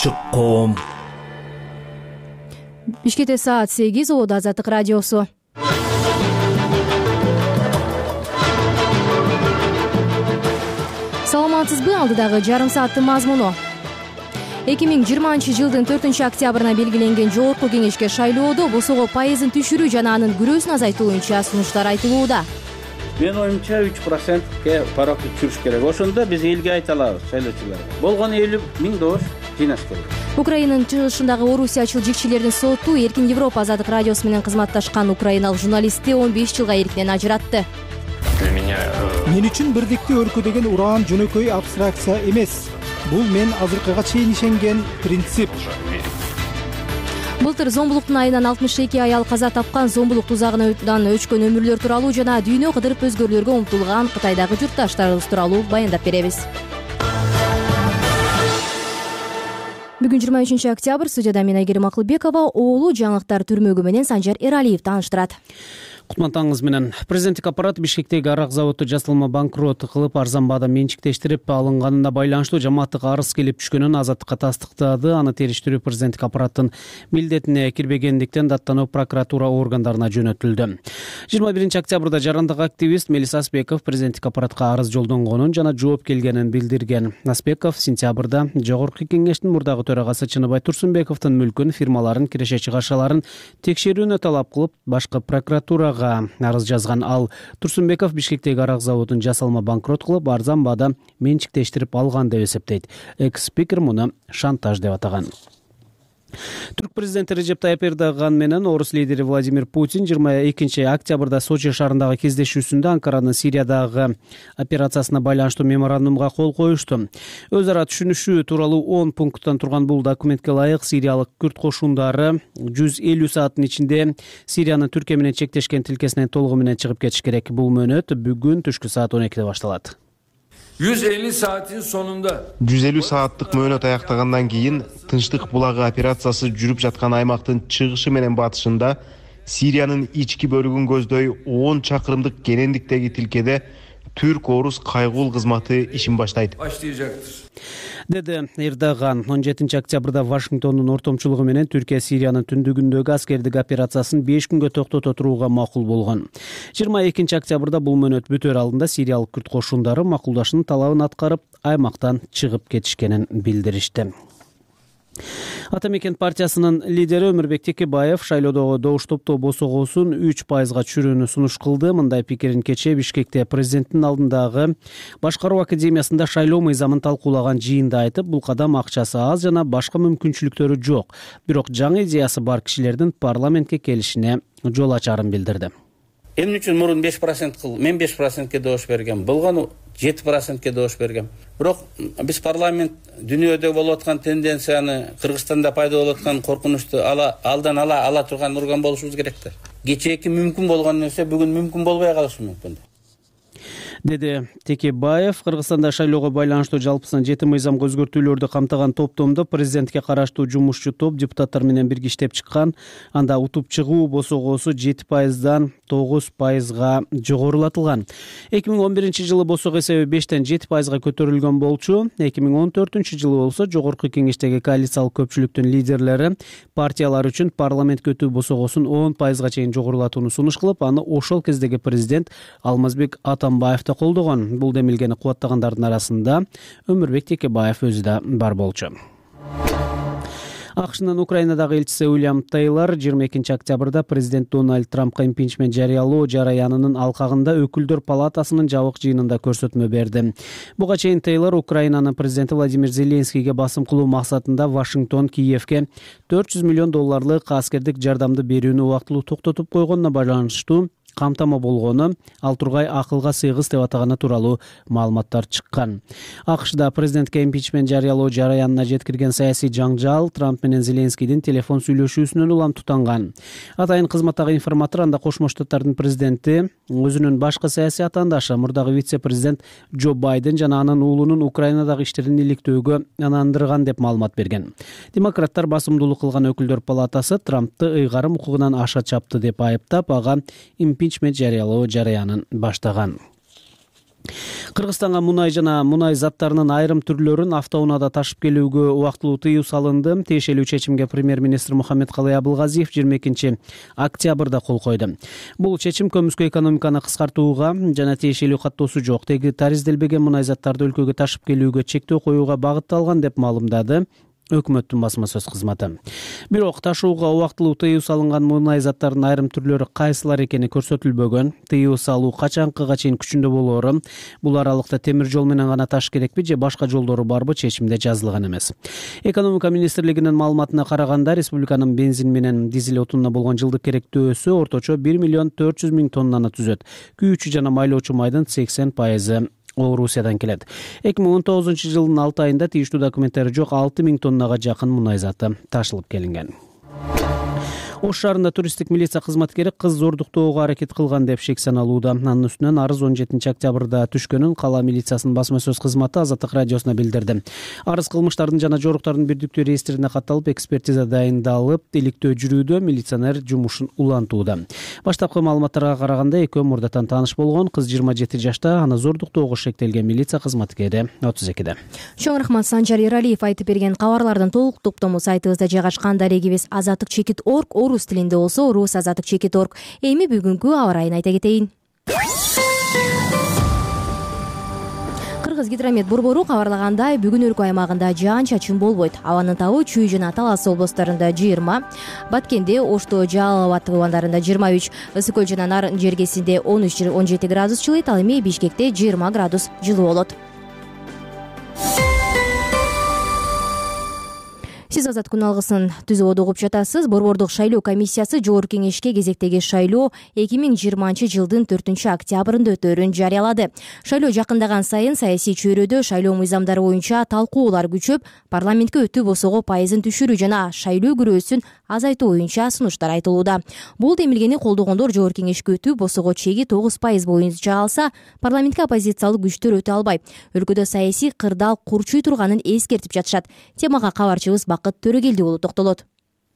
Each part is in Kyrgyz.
Чыкком. Бишкекте саат 8, Оодо Азаттык радиосу. Саламатсызбы? Алдыдагы жарым сааттын мазмуну. 2020-жылдын 4-октябрына белгиленген жогорку кеңешке шайлоодо босого пайызын түшүрүү жана анын күрөөсүн азайтуу боюнча сунуштар айтылууда. Мен оюмча 3%ке паракты түшүрүш керек. Ошондо биз элге айта алабыз, шайлоочуларга. Болгону 50.000 добуш жыйнаш керек. Украинанын чыгышындагы орусиячыл жикчилердин соту Эркин Европа Азаттык радиосу менен кызматташкан украиналык журналистти 15 жылга эркинен ажыратты. Мен үчүн бирдикти өлкө деген уран жөнөкөй абстракция эмес. Бул мен азыркыга чейин ишенген принцип. Былтыр зомбулуктун айынан 62 аял каза тапкан, зомбулук тузагынан өчкөн өмүрлөр тууралуу жана дүйнө кыдырып өзгөрүүлөргө умтулган Кытайдагы журтташтарыбыз тууралуу баяндап беребиз. Бүгүн 23 октябрь, студияда мен Айгерим Акылбекова, оолу жаңылыктар түрмөгү менен Санжар Эралиев тааныштырат. Кутмантаңыз менен. Президенттик аппарат Бишкектеги арак заводу жасалма банкрот кылып, арзан баада менчиктештирип алынганына байланыштуу жамааттык арыз келип түшкөнүн Азаттыкка тастыктады. Аны териштирүү президенттик аппараттын милдетине кирбегендиктен даттануу прокуратура органдарына жөнөтүлдү. 21 октябрда жарандык активист Мелис Аспеков президенттик аппаратка арыз жолдонгонун жана жооп келгенин билдирген. Аспеков сентябрда жогорку кеңештин мурдагы төрагасы Чыныбай Турсунбековдун мүлкүн, фирмаларын, киреше-чыгашаларын текшерүүнү талап кылып, башкы прокуратурага арыз жазган. Ал Турсунбеков Бишкектеги арак заводун жасалма банкрот кылып, арзан баада менчиктештирип алган деп эсептейт. Экс-спикер муну шантаж деп атаган. Түрк президенти Режеп Тайып Эрдоган менен орус лидери Владимир Путин 22 октябрда Сочи шаарындагы кездешүүсүндө Анкаранын Сириядагы операциясына байланыштуу меморандумга кол коюшту. Өз ара түшүнүшүү тууралуу 10 пункттан турган бул документке ылайык сириялык күрд кошундары 150 сааттын ичинде Сириянын Түркия менен чектешкен тилкесинен толугу менен чыгып кетиш керек. Бул мөөнөт бүгүн түшкү саат 12-де башталат. 150 saatin sonunda 150 сааттык мөөнөт аяктагандан кийин Тынчтык булагы операциясы жүрүп жаткан аймактын чыгышы менен батышында Сириянын ички бөлүгүн көздөй 10 чакырымдык кенендиктеги тилкеде Түрк-орус кайгуул кызматы ишин баштайт, деди Эрдоган. 17 октябрда Вашингтондун ортомчулугу менен Түркия Сириянын түндүгүндөгү аскердик операциясын 5 күнгө токтото турууга макул болгон. 22 октябрда бул мөөнөт бүтөр алдында сириялык күрд кошундары макулдашуунун талабын аткарып, аймактан чыгып кетишкенин билдиришти. Ата Мекен партиясынын лидери Өмүрбек Текебаев шайлоодогу добуш топтоо босогосун 3%га түшүрүүнү сунуш кылды. Мындай пикирин кечээ Бишкекте президенттин алдындагы башкаруу академиясында шайлоо мыйзамын талкуулаган жыйында айтып, бул кадам акчасы аз жана башка мүмкүнчүлүктөрү жок. Бирок жаңы идеясы бар кишилердин парламентке келишине жол ачарын билдирди. Эмне үчүн мурун 5% кыл, мен 5%ке добуш бергем. Болгону 7%ке добуш бергем. Бирок биз парламент дүйнөдө болуп аткан тенденцияны, Кыргызстанда пайда болуп аткан коркунучту алдан ала турган орган болушубуз керек да. Кечээки мүмкүн болгон нерсе бүгүн мүмкүн болбой калышы мүмкүн, деди Текебаев. Кыргызстанда шайлоого байланыштуу жалпысынан 7 мыйзамга өзгөртүүлөрдү камтыган топтомдо президентке караштуу жумушчу топ депутаттар менен бирге иштеп чыккан. Анда утуп чыгуу босогосу 7%дан 9%га жогорулатылган. 2011 жылы босого эсеби 5-тен 7%га көтөрүлгөн болчу. 2014 жылы болсо жогорку кеңештеги коалициялык көпчүлүктүн лидерлери партиялар үчүн парламентке өтүү босогосун 10%га чейин жогорулатууну сунуш кылып, аны ошол кездеги президент Алмазбек Атамбаев колдогон. Бул демилгени кубаттагандардын арасында Өмүрбек Текебаев өзү да бар болчу. АКШнын Украинадагы элчиси Уильям Тейлор 22 октябрда президент Дональд Трампка импичмент жарыялоо жараянынын алкагында өкүлдөр палатасынын жабык жыйынында көрсөтмө берди. Буга чейин Тейлор Украинанын президенти Владимир Зеленскийге басым кылуу максатында Вашингтон Киевке $400 миллион аскердик жардамды берүүнү убактылуу токтотуп койгонуна байланыштуу камтама болгону ал тургай акылга сыйгыз деп атаганы тууралуу маалыматтар чыккан. АКШда президентке импичмент жарыялоо жараянына жеткирген саясий жаңжал Трамп менен Зеленскийдин телефон сүйлөшүүсүнөн улам тутанган. Атайын кызматтагы информатор анда Кошмо Штаттардын президенти өзүнүн башкы саясий атаандашы мурдагы вице-президент Джо Байден жана анын уулунун Украинадагы иштерин иликтөөгө ынандырган деп маалымат берген. Демократтар басымдуулук кылган өкүлдөр палатасы Трампты ыйгарым укугунан аша чапты деп айыптап, ага импичмент жарыялоо жараянын баштаган. Кыргызстанга мунай жана мунай заттарынын айрым түрлөрүн автоунаада ташып келүүгө убактылуу тыюу салынды. Тиешелүү чечимге премьер-министр Мухаммедкалый Абылгазиев 22 октябрда кол койду. Бул чечим көмүскө экономиканы кыскартууга жана тиешелүү каттоосу жок, таризделбеген мунай заттарды өлкөгө ташып келүүгө чектөө коюуга багытталган деп маалымдады өкмөттүн басма сөз кызматы. Бирок ташууга убактылуу тыюу салынган мунай заттарынын айрым түрлөрү кайсылар экени көрсөтүлбөгөн. Тыюу салуу качанкыга чейин күчүндө болоору, бул аралыкта темир жол менен гана ташыш керекпи же башка жолдору барбы чечимде жазылган эмес. Экономика министрлигинин маалыматына караганда, республиканын бензин менен дизель отунуна болгон жылдык керектөөсү орточо 1 400 000 тоннаны түзөт. Күйүүчү жана майлоочу майдын 80% Орусиядан келет. 2019 жылдын 6 айында тийиштүү документтери жок 6000 тоннага жакын мунай заты ташылып келинген. Ош шаарында туристтик милиция кызматкери кыз зордуктоого аракет кылган деп шек саналууда. Анын үстүнөн арыз 17 октябрда түшкөнүн кала милициясынын басма сөз кызматы Азаттык радиосуна билдирди. Арыз кылмыштардын жана жоруктардын бирдиктүү реестрине катталып, экспертиза дайындалып, иликтөө жүрүүдө, милиционер жумушун улантууда. Баштапкы маалыматтарга караганда, экөө мурдатан тааныш болгон. Кыз 27 жашта, аны зордуктоого шектелген милиция кызматкери 32-де. Чоң рахмат Санжар Эралиев айтып берген кабарлардын толук топтому сайтыбызда жайгашкан. Дарегибиз azattik.org орус тилинде болсо орус azattik.org. Эми бүгүнкү аба ырайын айта кетейин. Кыргызгидромет борбору кабарлагандай, бүгүн өлкө аймагында жаан-чачын болбойт. Абанын табы Чүй жана Талас облустарында 20, Баткенде, Ошто, Жалал Абад туугандарында 23, Ысык көл жана Нарын жергесинде 13-17 градус жылыйт, ал эми Бишкекте 20 градус жылуу болот. Сиз Азат күн алгысын түзүп угуп жатасыз. Борбордук шайлоо комиссиясы Жогорку кеңешке кезектеги шайлоо 2020 жылдын 4 октябрында өтөөрүн жарыялады. Шайлоо жакындаган сайын саясий чөйрөдө шайлоо мыйзамдары боюнча талкуулар күчөп, парламентке өтүү босого пайызын түшүрүү жана шайлоо күрөөсүн азайтуу боюнча сунуштар айтылууда. Бул демилгени колдогондор Жогорку кеңешке өтүү босого чеги 9% боюнча алса, парламентке оппозициялык күчтөр өтө албайт. Өлкөдө саясий кырдаал курчуй турганын эскертип жатышат. Темага кабарчыбыз Бакыт Төрөгелди уулу токтолот.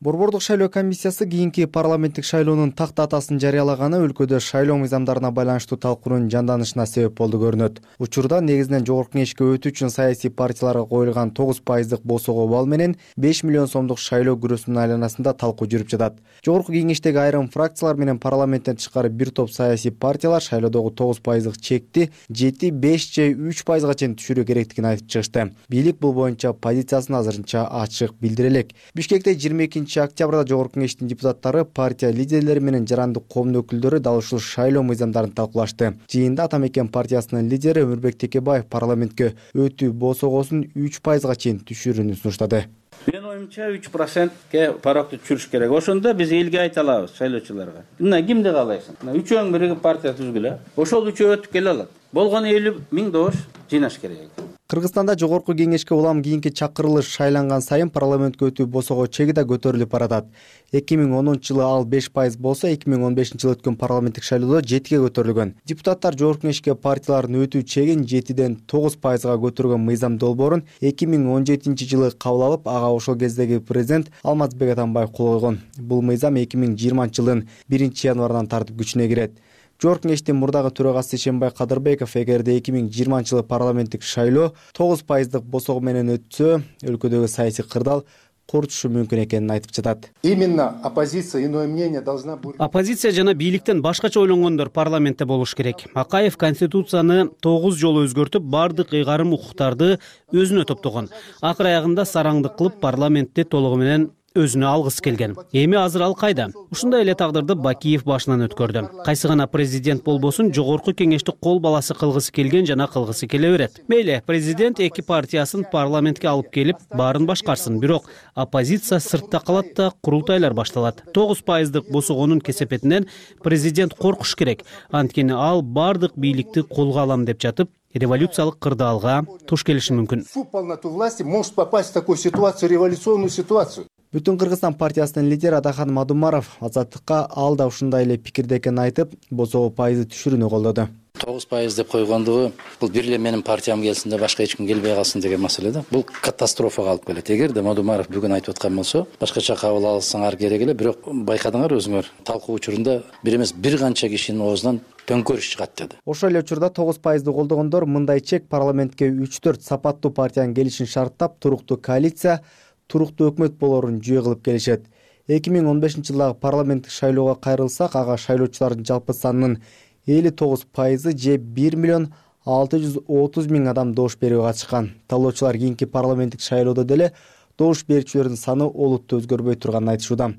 Борбордук шайлоо комиссиясы кийинки парламенттик шайлоонун так датасын жарыялаганы өлкөдө шайлоо мыйзамдарына байланыштуу талкуунун жанданышына себеп болду көрүнөт. Учурда негизинен Жогорку кеңешке өтүү үчүн саясий партияларга коюлган 9% босого бал менен 5 миллион сомдук шайлоо күрөөсүнүн айланасында талкуу жүрүп жатат. Жогорку кеңештеги айрым фракциялар менен парламенттен тышкары бир топ саясий партиялар шайлоодогу 9% чекти 7, 5 же 3%га чейин түшүрүү керектигин айтып чыгышты. Бийлик бул боюнча позициясын азырынча ачык билдире элек. Бишкекте 22 октябрда Жогорку кеңештин депутаттары, партия лидерлери менен жарандык коомдун өкүлдөрү дал ушул шайлоо мыйзамдарын талкуулашты. Жыйында Атамекен партиясынын лидери Өмүрбек Текебаев парламентке өтүү босогосун 3%га чейин түшүрүүнү сунуштады. Мен оюмча 3%ке парокту түшүрүш керек. Ошондо биз элге айта алабыз шайлоочуларга. Мына кимди каалайсың? Мына үчөөң биригип партия түзгүлө. Ошол үчөө өтүп келе алат. Болгону 50 000 добуш жыйнаш керек. Кыргызстанда Жогорку кеңешке улам кийинки чакырылыш шайланган сайын парламентке өтүү босого чеги да көтөрүлүп баратат. 2010 жылы ал 5% болсо, 2015 жылы өткөн парламенттик шайлоодо 7ге көтөрүлгөн. Депутаттар Жогорку кеңешке партиялардын өтүү чегин 7ден 9%га көтөргөн мыйзам долбоорун 2017 жылы кабыл алып, ага ошол кездеги президент Алмазбек Атамбаев кол койгон. Бул мыйзам 2020 жылдын 1 январынан тартып күчүнө кирет. Жогорку кеңештин мурдагы төрагасы Шембай Кадырбеков эгерде 2020 жылы парламенттик шайлоо 9% босого менен өтсө, өлкөдөгү саясий кырдаал курчушу мүмкүн экенин айтып жатат. Именно оппозиция, иное мнение должна быть. Оппозиция жана бийликтен башкача ойлонгондор парламентте болуш керек. Акаев конституцияны 9 жолу өзгөртүп, бардык ыйгарым укуктарды өзүнө топтогон. Акыр аягында сараңдык кылып парламентте толугу менен өзүнө алгысы келген. Эми азыр ал кайда? Ушундай эле тагдырды Бакиев башынан өткөрдү. Кайсы гана президент болбосун, Жогорку кеңешти кол баласы кылгысы келген жана кылгысы келе берет. Мейли, президент эки партиясын парламентке алып келип, баарын башкарсын. Бирок оппозиция сыртта калат да курултайлар башталат. 9% босогонун кесепетинен президент коркуш керек. Анткени ал бардык бийликти колго алам деп жатып, революциялык кырдаалга туш келиши мүмкүн. Полноту власти может попасть в такую ситуацию, революционную ситуацию. Бүтүн Кыргызстан партиясынын лидери Адахан Мадумаров Азаттыкка ал да ушундай эле пикирде экенин айтып, босого пайызы түшүрүүнү колдоду. 9% деп койгондугу бул бир эле менин партиям келсин да башка эч ким келбей калсын деген маселе да. Бул катастрофага алып келет. Эгерде Модумаров бүгүн айтып аткан болсо, башкача кабыл алсаңар керек эле, бирок байкадыңар өзүңөр, талкуу учурунда бир эмес бир канча кишинин оозунан төңкөрүш чыгат деди. Ошол эле учурда 9%ды колдогондор мындай чек: парламентке 3-4 сапаттуу партиянын келишин шарттап, туруктуу коалиция, туруктуу өкмөт болорун жүйө кылып келишет. 2015-жылдагы парламенттик шайлоого кайрылсак, ага шайлоочулардын жалпы санынын 59% же 1,630,000 адам добуш берүүгө катышкан. Талоочулар кийинки парламенттик шайлоодо деле добуш берүүчүлөрдүн саны олуттуу өзгөрбөй турганын айтышууда.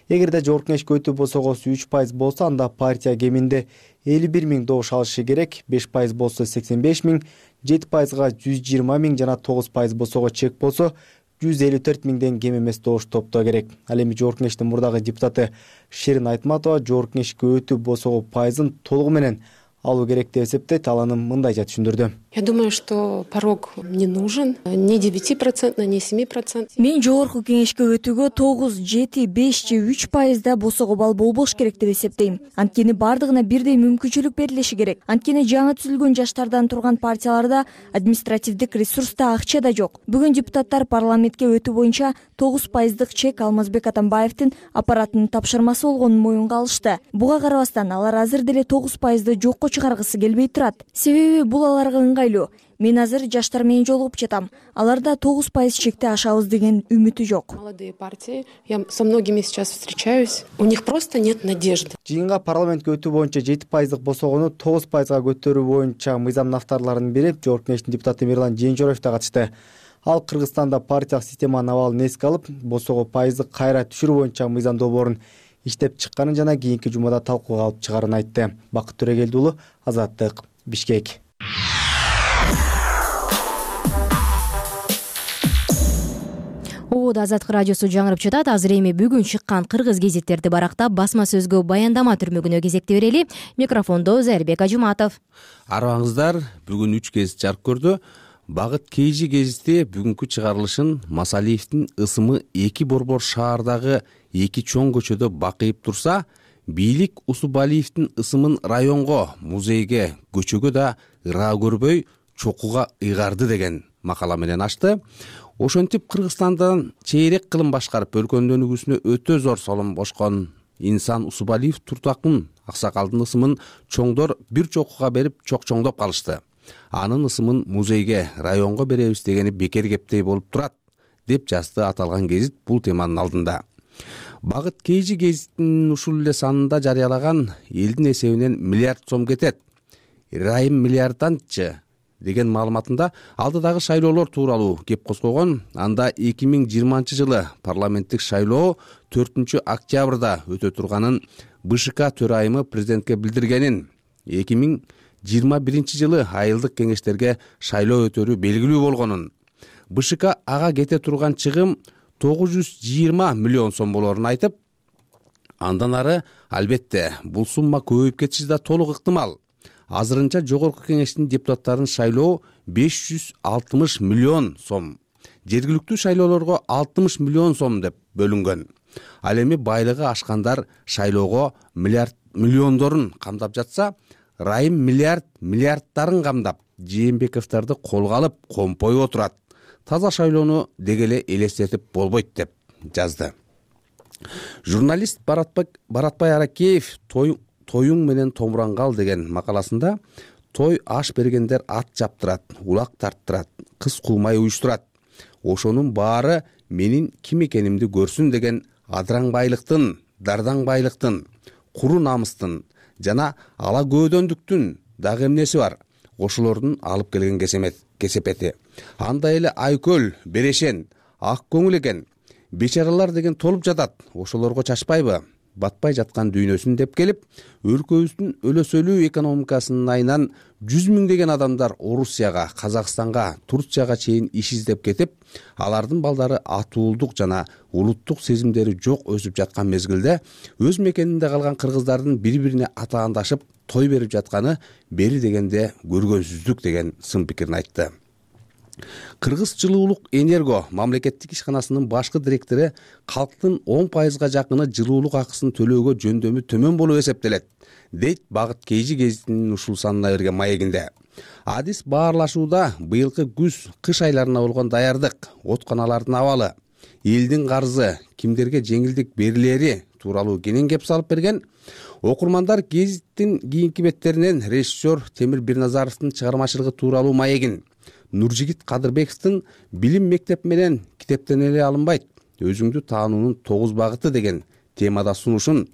Эгерде жогорку кеңешке өтүү босогосу 3% болсо, анда партия кеминде 51,000 добуш алышы керек, 5% болсо 85,000, 7%га 120,000 жана 9% босого чек болсо 154,000ден кем эмес добуш топтоо керек. Ал эми жогорку кеңештин мурдагы депутаты Шерин Айтматова жогорку кеңешке өтүү босого пайызын толугу менен алуу керек деп эсептейт. Ал аны мындайча түшүндүрдү. Я думаю, что порог не нужен, ни 9%, ни 7%. Мен жогорку кеңешке өтүүгө 9, 7, 5 же 3% босого балл болбош керек деп эсептейм. Анткени бардыгына бирдей мүмкүнчүлүк берилиши керек. Анткени жаңы түзүлгөн жаштардан турган партияларда административдик ресурс да, акча да жок. Бүгүн депутаттар парламентке өтүү боюнча 9%дык чек Алмазбек Атамбаевдин аппаратынын тапшырмасы болгонун моюнга алышты. Буга карабастан алар азыр деле 9%ды жокко чыгаргысы келбей турат. Себеби бул аларга ыңгайлуу. Мен азыр жаштар менен жолугуп жатам. Аларда 9% чекти ашабыз деген үмүтү жок. Молодые партии, я со многими сейчас встречаюсь, у них просто нет надежды. Жыйынга парламентке өтүү боюнча 7%дык босогону 9%га көтөрүү боюнча мыйзам авторлорунун бири жогорку кеңештин депутаты Мирлан Жээнжороев да катышты. Ал Кыргызстанда партиялык системанын абалын эске алып, босого пайызды кайра түшүрүү боюнча мыйзам долбоорун иштеп чыкканын жана кийинки жумада талкууга алып чыгаарын айтты. Бакыт Төрөгелди уулу, Азаттык, Бишкек. Ободо Азаттык радиосу жаңырып жатат. Азыр эми бүгүн чыккан кыргыз гезиттерди барактап, басма сөзгө баяндама түрмөгүнө кезекти берели. Микрофондо Зайырбек Ажыматов. Арыбаңыздар, бүгүн 3 гезит жарык көрдү. Багыт Кейжи гезити бүгүнкү чыгарылышын Масалиевдин ысымы 2 борбор шаардагы 2 чоң көчөдө бакыйып турса, бийлик Усубалиевдин ысымын районго, музейге, көчөгө да ыраа көрбөй чокуга ыйгарды деген макала менен ачты. Ошентип Кыргызстандан чейрек кылым башкарып өлкөнүн өнүгүүсүнө өтө зор солон кошкон инсан Усубалиев Туртакын аксакалдын ысымын чоңдор бир чокуга берип чокчоңдоп калышты. Анын ысымын музейге, районго беребиз дегени бекер кептей болуп турат, деп жазды аталган гезит бул теманын алдында. Багыт Кейжи гезитинин ушул эле санында жарыялаган элдин эсебинен миллиард сом кетет. Райым миллиардданчы деген маалыматында алдыдагы шайлоолор тууралуу кеп козгогон. Анда 2020-жылы парламенттик шайлоо 4-октябрда өтө турганын БШК төрайымы президентке билдиргенин, 2021-жылы айылдык кеңештерге шайлоо өтөрү белгилүү болгонун, БШК ага кете турган чыгым 920 миллион сом болорун айтып, андан ары албетте бул сумма көбөйүп кетиши да толук ыктымал. Азырынча жогорку кеңештин депутаттарын шайлоо 560 миллион сом, жергиликтүү шайлоолорго 60 миллион сом деп бөлүнгөн. Ал эми байлыгы ашкандар шайлоого миллиондорун камдап жатса, Райым миллиарддарын камдап, Жээнбековдорду колго алып компой отурат. Таза шайлоону дегеле элестетип болбойт деп жазды. Журналист Баратбай Аракеев тоюң менен томурангал деген макаласында той аш бергендер ат жаптырат, улак тарттырат, кыз кулмай уюштурат. Ошонун баары менин ким экенимди көрсүн деген адыраңбайлыктын, дардаңбайлыктын, куру намыстын жана ала көөдөндүктүн дагы эмнеси бар? Ошолордун алып келген кесепети. Андай эле айкөл, берешен, ак көңүл экен. Бечаралар деген толуп жатат. Ошолорго чачпайбы? Батпай жаткан дүйнөсүн деп келип, өлкөбүздүн өлөсөлүү экономикасынын айынан 100 миңдеген адамдар Орусияга, Казакстанга, Турцияга чейин иш издеп кетип, алардын балдары атуулдук жана улуттук сезимдери жок өсүп жаткан мезгилде өз мекенинде калган кыргыздардын бири-бирине атаандашып той берип жатканы бери дегенде көргөнсүздүк деген сын пикирин айтты. Кыргыз жылуулук энерго мамлекеттик ишканасынын башкы директору калктын 10% жакыны жылуулук акысын төлөөгө жөндөмү төмөн болуп эсептелет, дейт Багыт Кейжи гезитинин ушул санына берген маегинде. Адис баарлашууда быйылкы күз-кыш айларына болгон даярдык, отканалардын абалы, элдин карызы, кимдерге жеңилдик берилери тууралуу кенен кеп салып берген. Окурмандар гезиттин кийинки беттеринен режиссер Темир Бирназаровдун чыгармачылыгы тууралуу маегин, Нуржигит Кадырбековдун билим мектеп менен китептенели алынбайт, өзүңдү таануунун 9 багыты деген темада сунушун,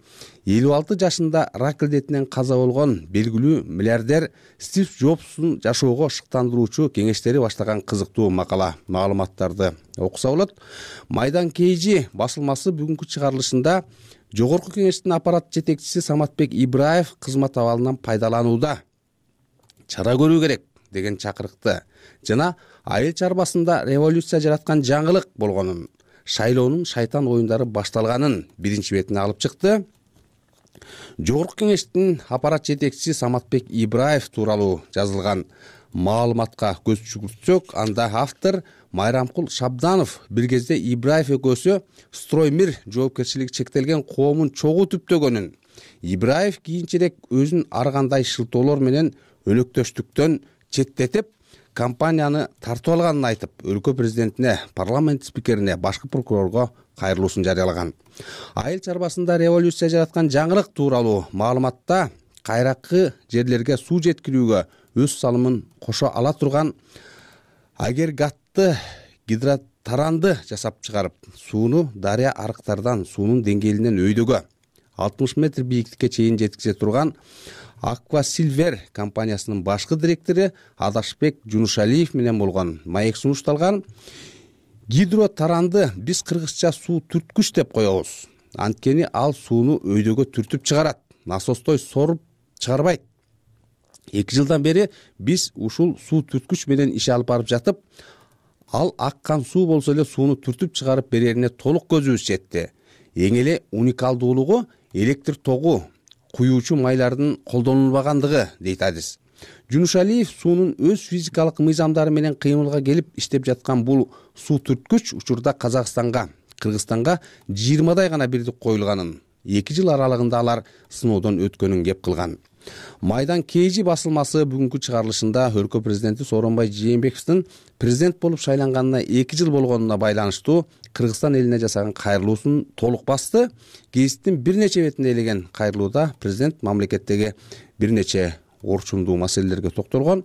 56 жашында рак илдетинен каза болгон белгилүү миллиардер Стив Джобстун жашоого шыктандыруучу кеңештери баштаган кызыктуу макала маалыматтарды окуса болот. Майдан Кейжи басылмасы бүгүнкү чыгарылышында Жогорку кеңештин аппарат жетекчиси Саматбек Ибраев кызмат абалынан пайдаланууда чара көрүү керек деген чакырыкты жана айыл чарбасында революция жараткан жаңылык болгонун, шайлоонун шайтан оюндары башталганын биринчи бетине алып чыкты. Жогорку кеңештин аппарат жетекчиси Саматбек Ибраев тууралуу жазылган маалыматка көз жүгүртсөк, анда автор Майрамкул Шабданов бир кезде Ибраев экөөсү Строймир жоопкерчилиги чектелген коомун чогуу түптөгөнүн, Ибраев кийинчерээк өзүн ар кандай шылтоолор менен өлөктөштүктөн четтетип, компанияны тартып алганын айтып, өлкө президентине, парламент спикерине, башкы прокурорго кайрылуусун жарыялаган. Айыл чарбасында революция жараткан жаңылык тууралуу маалыматта кайракы жерлерге суу жеткирүүгө өз салымын кошо ала турган агрегатты гидротаранды жасап чыгарып, сууну дарыя арыктардан суунун деңгээлинен өйдөгө 60 метр бийиктикке чейин жеткизе турган Аквасилвер компаниясынын башкы директору Адашбек Жунушалиев менен болгон маек сунушталган. Гидротаранды биз кыргызча суу түрткүч деп коебуз. Анткени ал сууну өйдөгө түртүп чыгарат, насостой соруп чыгарбайт. 2 жылдан бери биз ушул суу түрткүч менен иш алып барып жатып, ал аккан суу болсо эле сууну түртүп чыгарып берерине толук көзүбүз жетти. Эң эле уникалдуулугу электр тогу, куюучу майлардын колдонулбагандыгы, дейт Адис. Жунушалиев суунун өз физикалык мыйзамдары менен кыймылга келип иштеп жаткан бул суу түрткүч учурда Казакстанга, Кыргызстанга 20дай гана бирдик коюлганын, 2 жыл аралыгында алар сыноодон өткөнүн кеп кылган. Майдан Кейжи басылмасы бүгүнкү чыгарылышында өлкө президенти Сооронбай Жээнбековдун президент болуп шайланганына 2 жыл болгонуна байланыштуу Кыргызстан элине жасаган кайрылуусун толук басты. Гезиттин бир нече бетинде элеген кайрылууда президент мамлекеттеги бир нече орчундуу маселелерге токтолгон.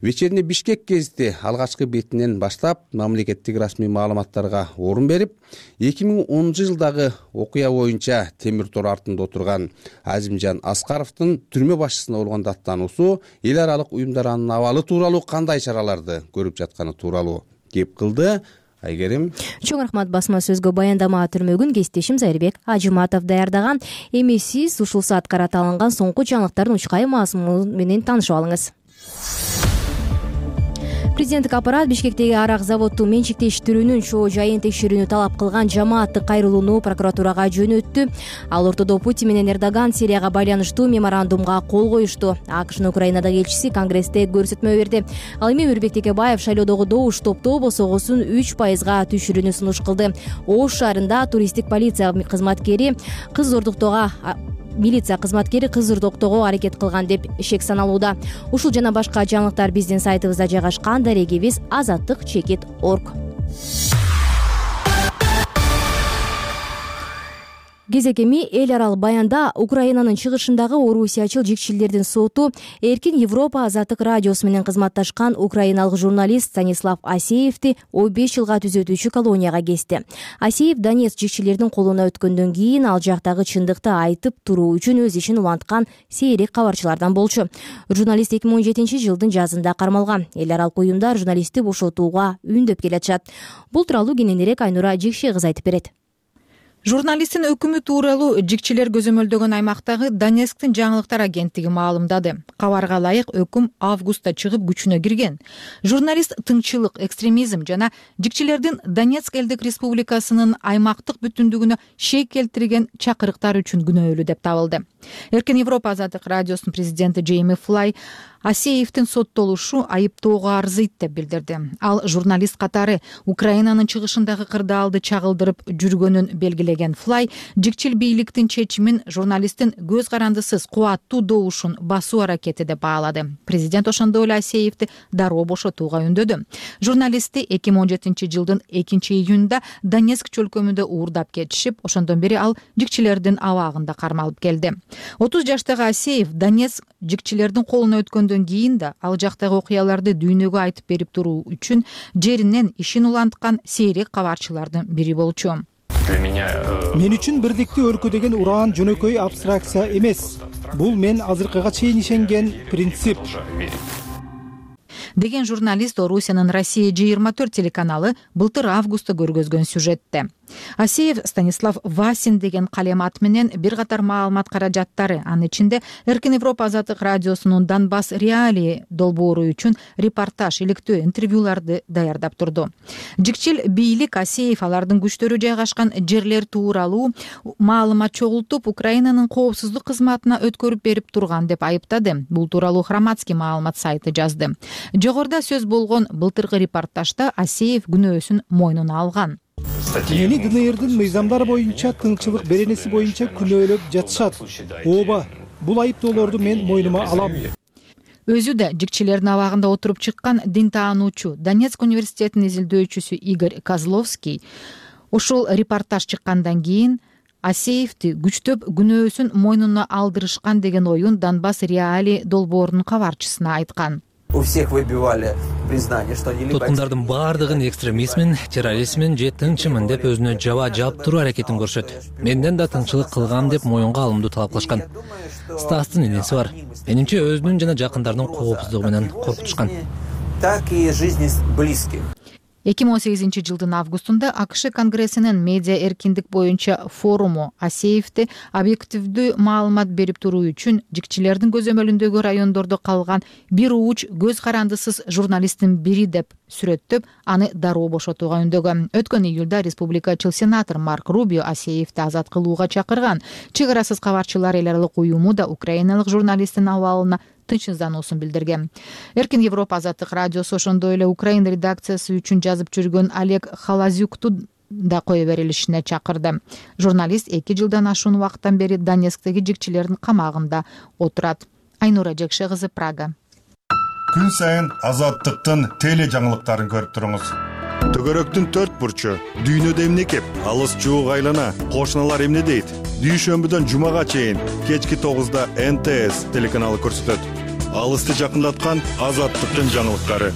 Вечерний Бишкек гезити алгачкы бетинен баштап мамлекеттик расмий маалыматтарга орун берип, 2010 жылдагы окуя боюнча темир тор артында отурган Азимжан Аскаровдун түрмө башчысына болгон даттануусу, эл аралык уюмдардын абалы тууралуу кандай чараларды көрүп жатканы тууралуу кеп кылды. Айгерим. Чоң рахмат. Басма сөзгө баяндама түрмөгүн кесиптешим Зайырбек Ажыматов даярдаган. Эми сиз ушул саатка алынган соңку жаңылыктардын учкай мазмуну менен таанышып алыңыз. Президенттик аппарат Бишкектеги арак заводдун менчиктештирүүнүн чоо жайын текшерүүнү талап кылган жамааттык кайрылууну прокуратурага жөнөттү. Ал ортодо Путин менен Эрдоган Сирияга байланыштуу меморандумга кол коюшту. АКШнын Украинадагы элчиси Конгрессте көрсөтмө берди. Ал эми Өрбек Текебаев шайлоодогу добуш топтоо босогосун 3%га түшүрүүнү сунуш кылды. Ош шаарында туристтик полиция кызматкери милиция кызматкери кыз зордоктоого аракет кылган деп шек саналууда. Ушул жана башка жаңылыктар биздин сайтыбызда жайгашкан. Дарегибиз azаттык.org. Кезек эми эл аралык баянда Украинанын чыгышындагы орусиячыл жикчилердин соту Эркин Европа азаттык радиосу менен кызматташкан украиналык журналист Станислав Асеевди 15 жылга түзөтүүчү колонияга кести. Асеев Донецк жикчилердин колуна өткөндөн кийин ал жактагы чындыкты айтып туруу үчүн өз ишин уланткан сейрек кабарчылардан болчу. Журналист 2017 жылдын жазында кармалган. Эл аралык уюмдар журналистти бошотууга үндөп келатышат. Бул тууралуу кененирээк Айнура Жекше кызы айтып берет. Журналисттин өкүмү тууралуу жикчилер көзөмөлдөгөн аймактагы Донецктин жаңылыктар агенттиги маалымдады. Кабарга ылайык өкүм августта чыгып күчүнө кирген. Журналист тынччылык, экстремизм жана жикчилердин Донецк элдик республикасынын аймактык бүтүндүгүнө шек келтирген чакырыктар үчүн күнөөлүү деп табылды. Эркин Европа азаттык радиосунун президенти Джейми Флай Асеевдин соттолушу айыптоого арзыйт деп билдирди. Ал журналист катары Украинанын чыгышындагы кырдаалды чагылдырып жүргөнүн белгилеген Флай жикчил бийликтин чечимин журналисттин көз карандысыз кубаттуу добушун басуу аракети деп баалады. Президент ошондой эле Асеевди дароо бошотууга үндөдү. Журналистти 2017-жылдын 2-июнунда Донецк чөлкөмүндө уурдап кетишип, ошондон бери ал жикчилердин абагында кармалып келди. 30 жаштагы Асеев Донецк жикчилердин колуна өткөндөн кийин да ал жактагы окуяларды дүйнөгө айтып берип туруу үчүн жеринен ишин уланткан сейрек кабарчылардын бири болчу. Мен үчүн бирдикти өлкөдөгөн уран жөнөкөй абстракция эмес. Бул мен азыркыга чейин ишенген принцип. Деген журналист Орусиянын Россия 24 телеканалы былтыр августта көргөзгөн сюжетте. Асеев Станислав Васин деген калем ат менен бир катар маалымат каражаттары, анын ичинде Эркин Европа азаттык радиосунун Донбасс реалии долбоору үчүн репортаж, иликтөө, интервьюларды даярдап турду. Жикчил бийлик Асеев алардын күчтөрү жайгашкан жерлер тууралуу маалымат чогултуп, Украинанын коопсуздук кызматына өткөрүп берип турган деп айыптады. Бул тууралуу Хроматский маалымат сайты жазды. Жогоруда сөз болгон былтыркы репортажда Асеев күнөөсүн мойнуна алган. Мени ДНРдин мыйзамдары боюнча тынччылык беренеси боюнча күнөөлөп жатышат. Ооба, бул айыптоолорду мен мойнума алам. Өзү да жикчилердин абагында отуруп чыккан дин таануучу, Донецк университетинин изилдөөчүсү Игорь Козловский ошол репортаж чыккандан кийин Асеевди күчтөп күнөөсүн мойнуна алдырышкан деген оюн Донбасс реалии долбоорунун кабарчысына айткан. У всех выбивали признание, что они туткундардын баардыгын экстремизмин, терроризмин же тынчымын деп өзүнө жаба жаап туруу аракетин көрүшөт. Менден да тынчылык кылгам деп моюнга алымдуу талап кылышкан. Стастын энеси бар. Менимче өзүнүн жана жакындарынын коопсуздугу менен коркутушкан. Так и жизни близких. 2018-жылдын августунда АКШ Конгрессинин медиа эркиндик боюнча форуму Асеевди объективдүү маалымат берип туруу үчүн жикчилердин көзөмөлүндөгү райондордо калган бир ууч көз карандысыз журналисттин бири деп сүрөттөп, аны дароо бошотууга үндөгөн. Өткөн июлда республикачыл сенатор Марк Рубио Асеевди азат кылууга чакырган. Чек арасыз кабарчылар эл аралык уюму да украиналык журналисттин абалына тынчсыздануусун билдирген. Эркин Европа азаттык радиосу ошондой эле Украин редакциясы үчүн жазып жүргөн Олег Халазюкту да кое берилишине чакырды. Журналист 2 жылдан ашуун убакыттан бери Донецктеги жикчилердин камагында отурат. Айнура Жекше кызы, Прага. Күн сайын азаттыктын теле жаңылыктарын көрүп туруңуз. Төгөрөктүн 4 бурчу, дүйнөдө эмне кеп, алыс жуук айлана, кошуналар эмне дейт? Дүйшөмбүдөн жумага чейин кечки 9-да НТС телеканалы көрсөтөт. Алысты жакындаткан азаттыктын жаңылыктары.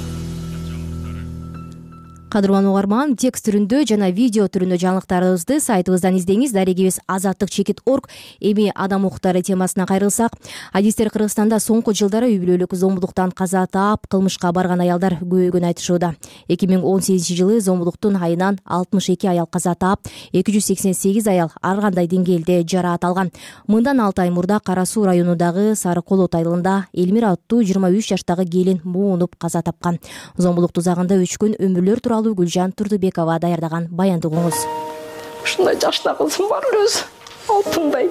Кадырлан угарман, текст түрүндө жана видео түрүндө жаңылыктарыбызды сайтыбыздан издеңиз. Дарегибиз azattik.org. Эми адам укуктары темасына кайрылсак, адистер Кыргызстанда соңку жылдары үй бүлөлүк зомбулуктан каза таап, кылмышка барган аялдар көбөйгөнүн айтышууда. 2018-жылы зомбулуктун айынан 62 аял каза таап, 288 аял ар кандай деңгээлде жараат алган. Мындан 6 ай мурда Кара Суу районундагы Сары Колот айылында Элмира аттуу 23 жаштагы келин муунуп каза тапкан. Зомбулук тузагында өчкөн өмүрлөр тууралуу Гүлжан Турдубекова даярдаган баянды угуңуз. Ушундай жашта кызым бар өзү. Алтындай.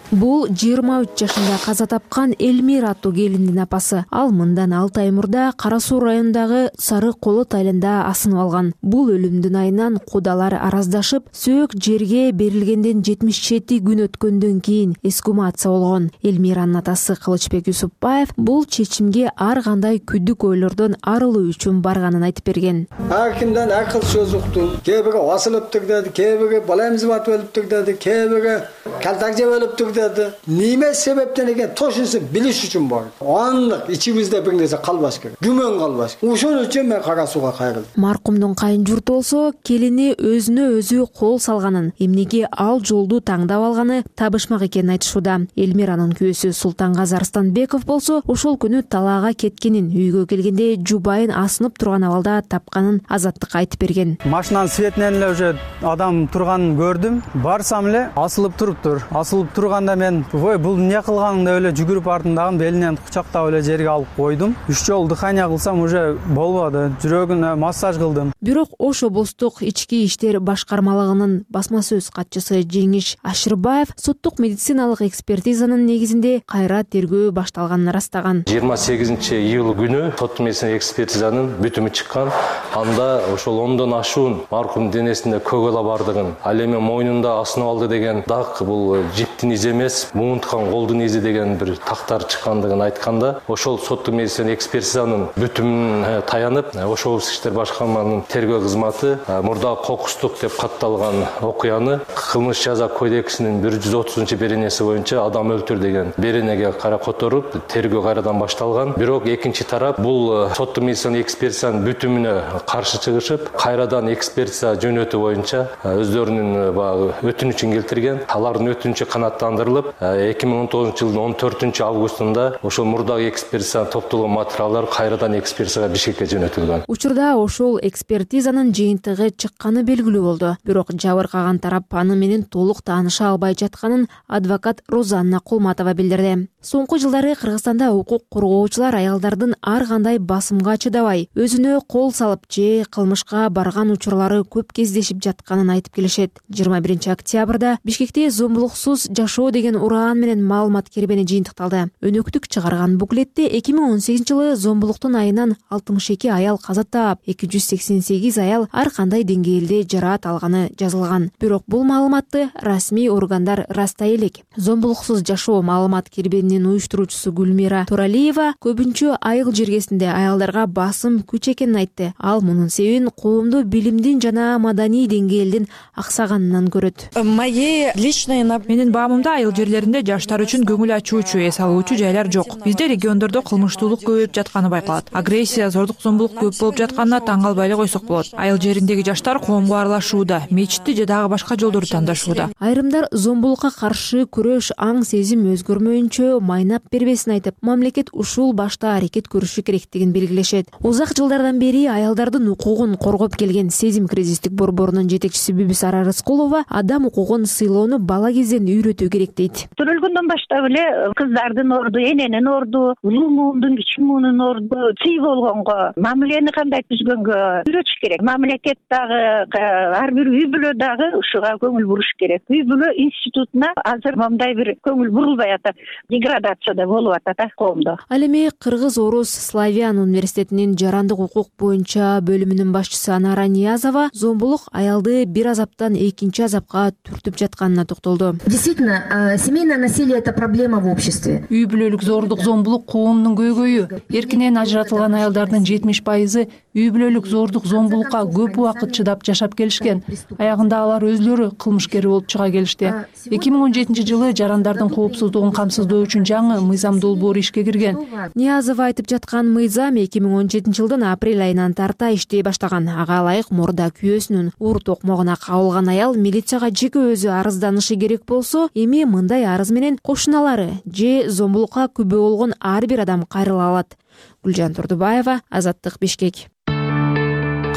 Бул 23 жашында каза тапкан Элмира аттуу келиндин апасы. Ал мындан 6 ай мурда Кара Суу районундагы Сары Колот айылында асынып алган. Бул өлүмдүн айынан кудалар араздашып, сөөк жерге берилгенден 77 күн өткөндөн кийин эскумация болгон. Элмиранын атасы Кылычбек Юсупбаев бул чечимге ар кандай күдүк ойлордон арылуу үчүн барганын айтып берген. Ар кимден ар кыл сөз уктум. Кээ бири асылыптыр деди, кээ бири бала эмзибат өлүптүр деди, кээ бири калтак жеп өлүптүр мырдады. Неме себептен экен тошуну билиш үчүн бар. Анлык ичибизде бир нерсе калбаш керек. Күмөн калбаш. Ошон үчүн мен Кара Сууга кайрылдым. Маркумдун кайын журту болсо келини өзүнө өзү кол салганын, эмнеге ал жолду таңдап алганы табышмак экенин айтышууда. Элмиранын күйөөсү Султангазы Арстанбеков болсо ошол күнү талаага кеткенин, үйгө келгенде жубайын асынып турган абалда тапканын Азаттыкка айтып берген. Машинанын светинен эле уже адам турганын көрдүм. Барсам эле асылып туруптур. Асылып турганда мен ой бул эмне кылганың деп эле жүгүрүп артындагы белинен кучактап эле жерге алып койдум. 3 жолу дыхания кылсам уже болбоду. Жүрөгүнө массаж кылдым. Бирок Ош облустук ички иштер башкармалыгынын басма сөз катчысы Жеңиш Ашырбаев соттук медициналык экспертизанын негизинде кайра тергөө башталганын ырастаган. 28-июль күнү соттук медицина экспертизанын бүтүмү чыккан. Анда ошол 10дон ашуун маркумдун денесинде көгала бардыгын, ал эми мойнунда асынып алды деген дак бул жиптин изи эмес, муунткан колдун изи деген бир тактар чыккандыгын айтканда, ошол соттук медицина экспертизанын бүтүмүнө таянып, Ош облустук иштер башкармалыгынын тергөө кызматы мурдагы кокустук деп катталган окуяны кылмыш жаза кодексинин 130-беренеси боюнча адам өлтүр деген беренеге кара которуп, тергөө кайрадан башталган. Бирок экинчи тарап бул соттук медицина экспертизанын бүтүмүнө каршы чыгышып, кайрадан экспертиза жөнөтүү боюнча өздөрүнүн баягы өтүнүчүн келтирген. Алардын өтүнүчү канааттандырылып, 2019-жылдын 14-августунда ошол мурдагы экспертиза топтолгон материалдар кайрадан экспертизага Бишкекке жөнөтүлгөн. Учурда ошол экспертизанын жыйынтыгы чыкканы белгилүү болду. Бирок жабыркаган тарап аны менен толук тааныша албай жатканын адвокат Розанна Кулматова билдирди. Соңку жылдары Кыргызстанда укук коргоочулар аялдардын ар кандай басымга чыдабай, өзүнө кол салып же кылмышка барган учурлары көп кездешип жатканын айтып келишет. 21-октябрда Бишкекте зомбулуксуз жашоо деген ураан менен маалымат кербени жыйынтыкталды. Өнөктүк чыгарган буклетте 2018-жылы зомбулуктун айынан 62 аял каза таап, 288 аял ар кандай деңгээлде жараат алганы жазылган. Бирок бул маалыматты расмий органдар растай элек. Зомбулуксуз жашоо маалымат кербенинин уюштуруучусу Гүлмира Туралиева көбүнчө айыл жергесинде аялдарга басым күч экенин айтты. Ал мунун себебин коомдо билимдин жана маданий деңгээлдин аксаганынан көрөт. Менин баамымда айыл жерлеринде жаштар үчүн көңүл ачуучу, эс алуучу жайлар жок. Бизде региондордо кылмыштуулук көбөйүп жатканы байкалат. Агрессия, зордук, зомбулук көп болуп жатканына таң калбай эле койсок болот. Айыл жериндеги жаштар коомго аралашууда, мечитти же дагы башка жолдорду тандашууда. Айрымдар зомбулукка каршы күрөш аң сезим өзгөрмөйүнчө майнап бербесин айтып, мамлекет ушул башта аракет көрүшү керектигин белгилешет. Узак жылдардан бери аялдардын укугун коргоп келген Сезим кризистик борборунун жетекчиси Бүбүсара Рыскулова адам укугун сыйлоону бала кезден үйрөтүү керек дейт. Төрөлгөндөн баштап эле кыздардын орду, эненин орду, улуу муундун, кичи муунун орду сый болгонго, мамилени кандай түзгөнгө үйрөтүш керек. Мамлекет дагы, ар бир үй бүлө дагы ушуга көңүл буруш керек. Үй бүлө институтуна азыр мындай бир көңүл бурулбай атат. Деградацияда болуп атат коомдо. Ал эми Кыргыз Орус Славян университетинин жарандык укук боюнча бөлүмүнүн башчысы Анара Ниязова зомбулук аялды бир азаптан экинчи азапка түртүп жатканына токтолду. Действительно, семейное насилие — это проблема в обществе. Үй бүлөлүк зордук, зомбулук коомдун көйгөйү. Эркинен ажыратылган аялдардын 70% үй бүлөлүк зордук, зомбулукка көп убакыт чыдап жашап келишкен. Аягында алар өзлөрү кылмышкер болуп чыга келишти. 2017-жылы жарандардын коопсуздугун камсыздоо үчүн жаңы мыйзам долбоору ишке кирген. Ниязова айтып жаткан мыйзам 2017-жылдын апрель айынан тарта иштей баштаган. Ага ылайык мурда күйөөсүнүн уур токмогуна кабылган аял милицияга жеке өзү арызданышы керек болсо, эми мындай арыз менен кошуналары же зомбулукка күбө болгон ар бир адам кайрыла алат. Гүлжан Турдубаева, Азаттык, Бишкек.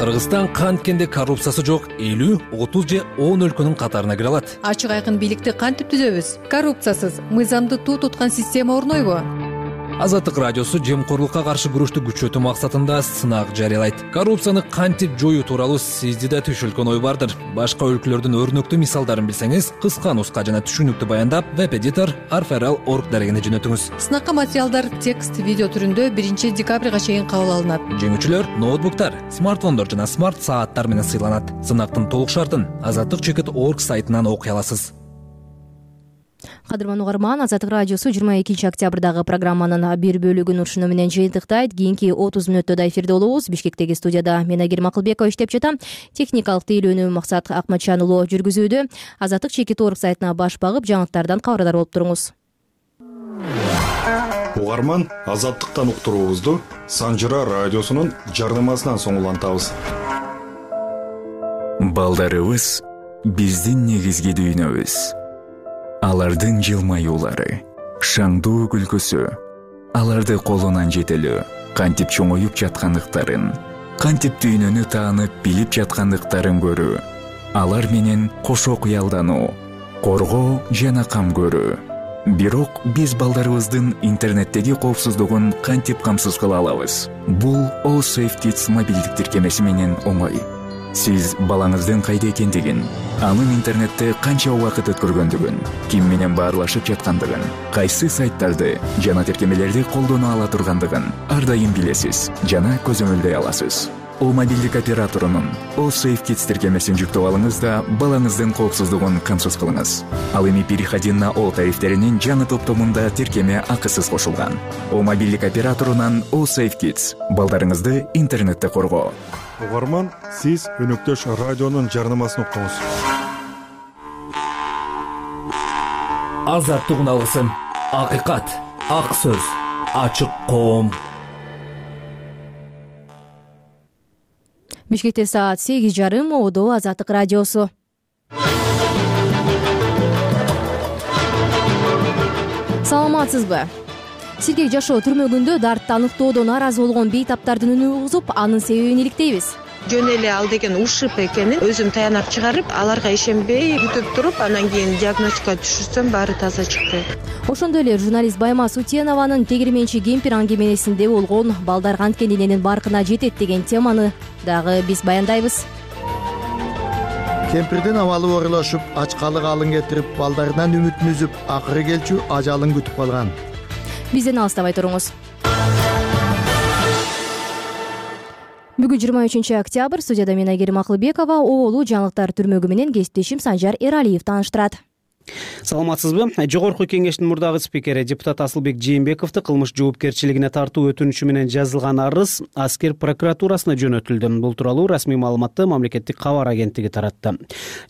Кыргызстан канткенде коррупциясы жок 50, 30 же 10 өлкөнүн катарына кире алат. Ачык айкын бийликти кантип түзөбүз? Коррупциясыз мыйзамды туу туткан система орнойбу? Азаттык радиосу жемкорлукка каршы күрөштү күчөтүү максатында сынак жарыялайт. Коррупцияны кантип жоюу тууралуу сизде да түшүлгөн ой бардыр. Башка өлкөлөрдүн өрнөктүү мисалдарын билсеңиз, кыска нуска жана түшүнүктүү баяндап веб-эдитор arferal.org дарегине жөнөтүңүз. Сынакка материалдар текст, видео түрүндө 1 декабрга чейин кабыл алынат. Жеңүүчүлөр ноутбуктар, смартфондор жана смарт сааттар менен сыйланат. Сынактын толук шартын azattik.org сайтынан окуй аласыз. Кадырман угарман, Азаттык радиосу 22 октябрдагы программанын бир бөлүгүн ушуну менен жыйынтыктайт. Кийинки 30 мүнөттө да эфирде болобуз. Бишкектеги студияда мен Айгерим Акылбекова иштеп жатам. Техникалык тейлөөнү Максат Акматжан уулу жүргүзүүдө. Азаттык чекит орг сайтына баш багып, жаңылыктардан кабардар болуп туруңуз. Угарман, Азаттыктан уктуруубузду Санжыра радиосунун жардамасынан соң улантабыз. Балдарыбыз биздин негизги дүйнөбүз. Алардын жылмаюулары, шаңдуу күлкүсү, аларды колунан жетелөө, кантип чоңоюп жаткандыктарын, кантип дүйнөнү таанып билип жаткандыктарын көрүү, алар менен кошо кыялдануу, коргоо жана кам көрүү. Бирок биз балдарыбыздын интернеттеги коопсуздугун кантип камсыз кыла алабыз? Бул All Safe Kids мобилдик тиркемеси менен оңой. Сиз балаңыздын кайда экендигин, анын интернетте канча убакыт өткөргөндүгүн, ким менен баарлашып жаткандыгын, кайсы сайттарды жана тиркемелерди колдоно ала тургандыгын ар дайым билесиз жана көзөмөлдөй аласыз. О мобилдик операторунун All Safe Kids тиркемесин жүктөп алыңыз да балаңыздын коопсуздугун камсыз кылыңыз. Ал эми переходи на All тарифтеринин жаңы топтомунда тиркеме акысыз кошулган. О мобилдик операторунан All Safe Kids балдарыңызды интернетте коргоо. Угарман, сиз өнөктөш радионун жарнамасын уктуңуз. Азаттык алгысын, акыйкат, ак сөз, ачык коом. Бишкекте саат 8:30, Одо Азаттык радиосу. Саламатсызбы? Сиргек жашоо түрмөгүндө дартты аныктоодон нааразы болгон бейтаптардын үнү угузуп, анын себебин иликтейбиз. Жөн эле ал деген ушип экенин өзүм таянак чыгарып, аларга ишенбей күтүп туруп, анан кийин диагностика түшүрсөм баары таза чыкты. Ошондой эле журналист Баймас Утенованын тегирменчи кемпир аңгемесинде болгон балдар канткен эненин баркына жетет деген теманы дагы биз баяндайбыз. Кемпирдин абалы оорулашып, ачкалык алын кетирип, балдарынан үмүтүн үзүп, акыры келчү ажалын күтүп калган. Бизден алыстабай туруңуз. Бүгүн 23 октябрь, студияда мен Айгерим Акылбекова, Оолу жаңылыктар түрмөгү менен кесиптешим Санжар Эралиев тааныштырат. Саламатсызбы? Жогорку кеңештин мурдагы спикери депутат Асылбек Жээнбековду кылмыш жоопкерчилигине тартуу өтүнүчү менен жазылган арыз аскер прокуратурасына жөнөтүлдү. Бул тууралуу расмий маалыматты мамлекеттик кабар агенттиги таратты.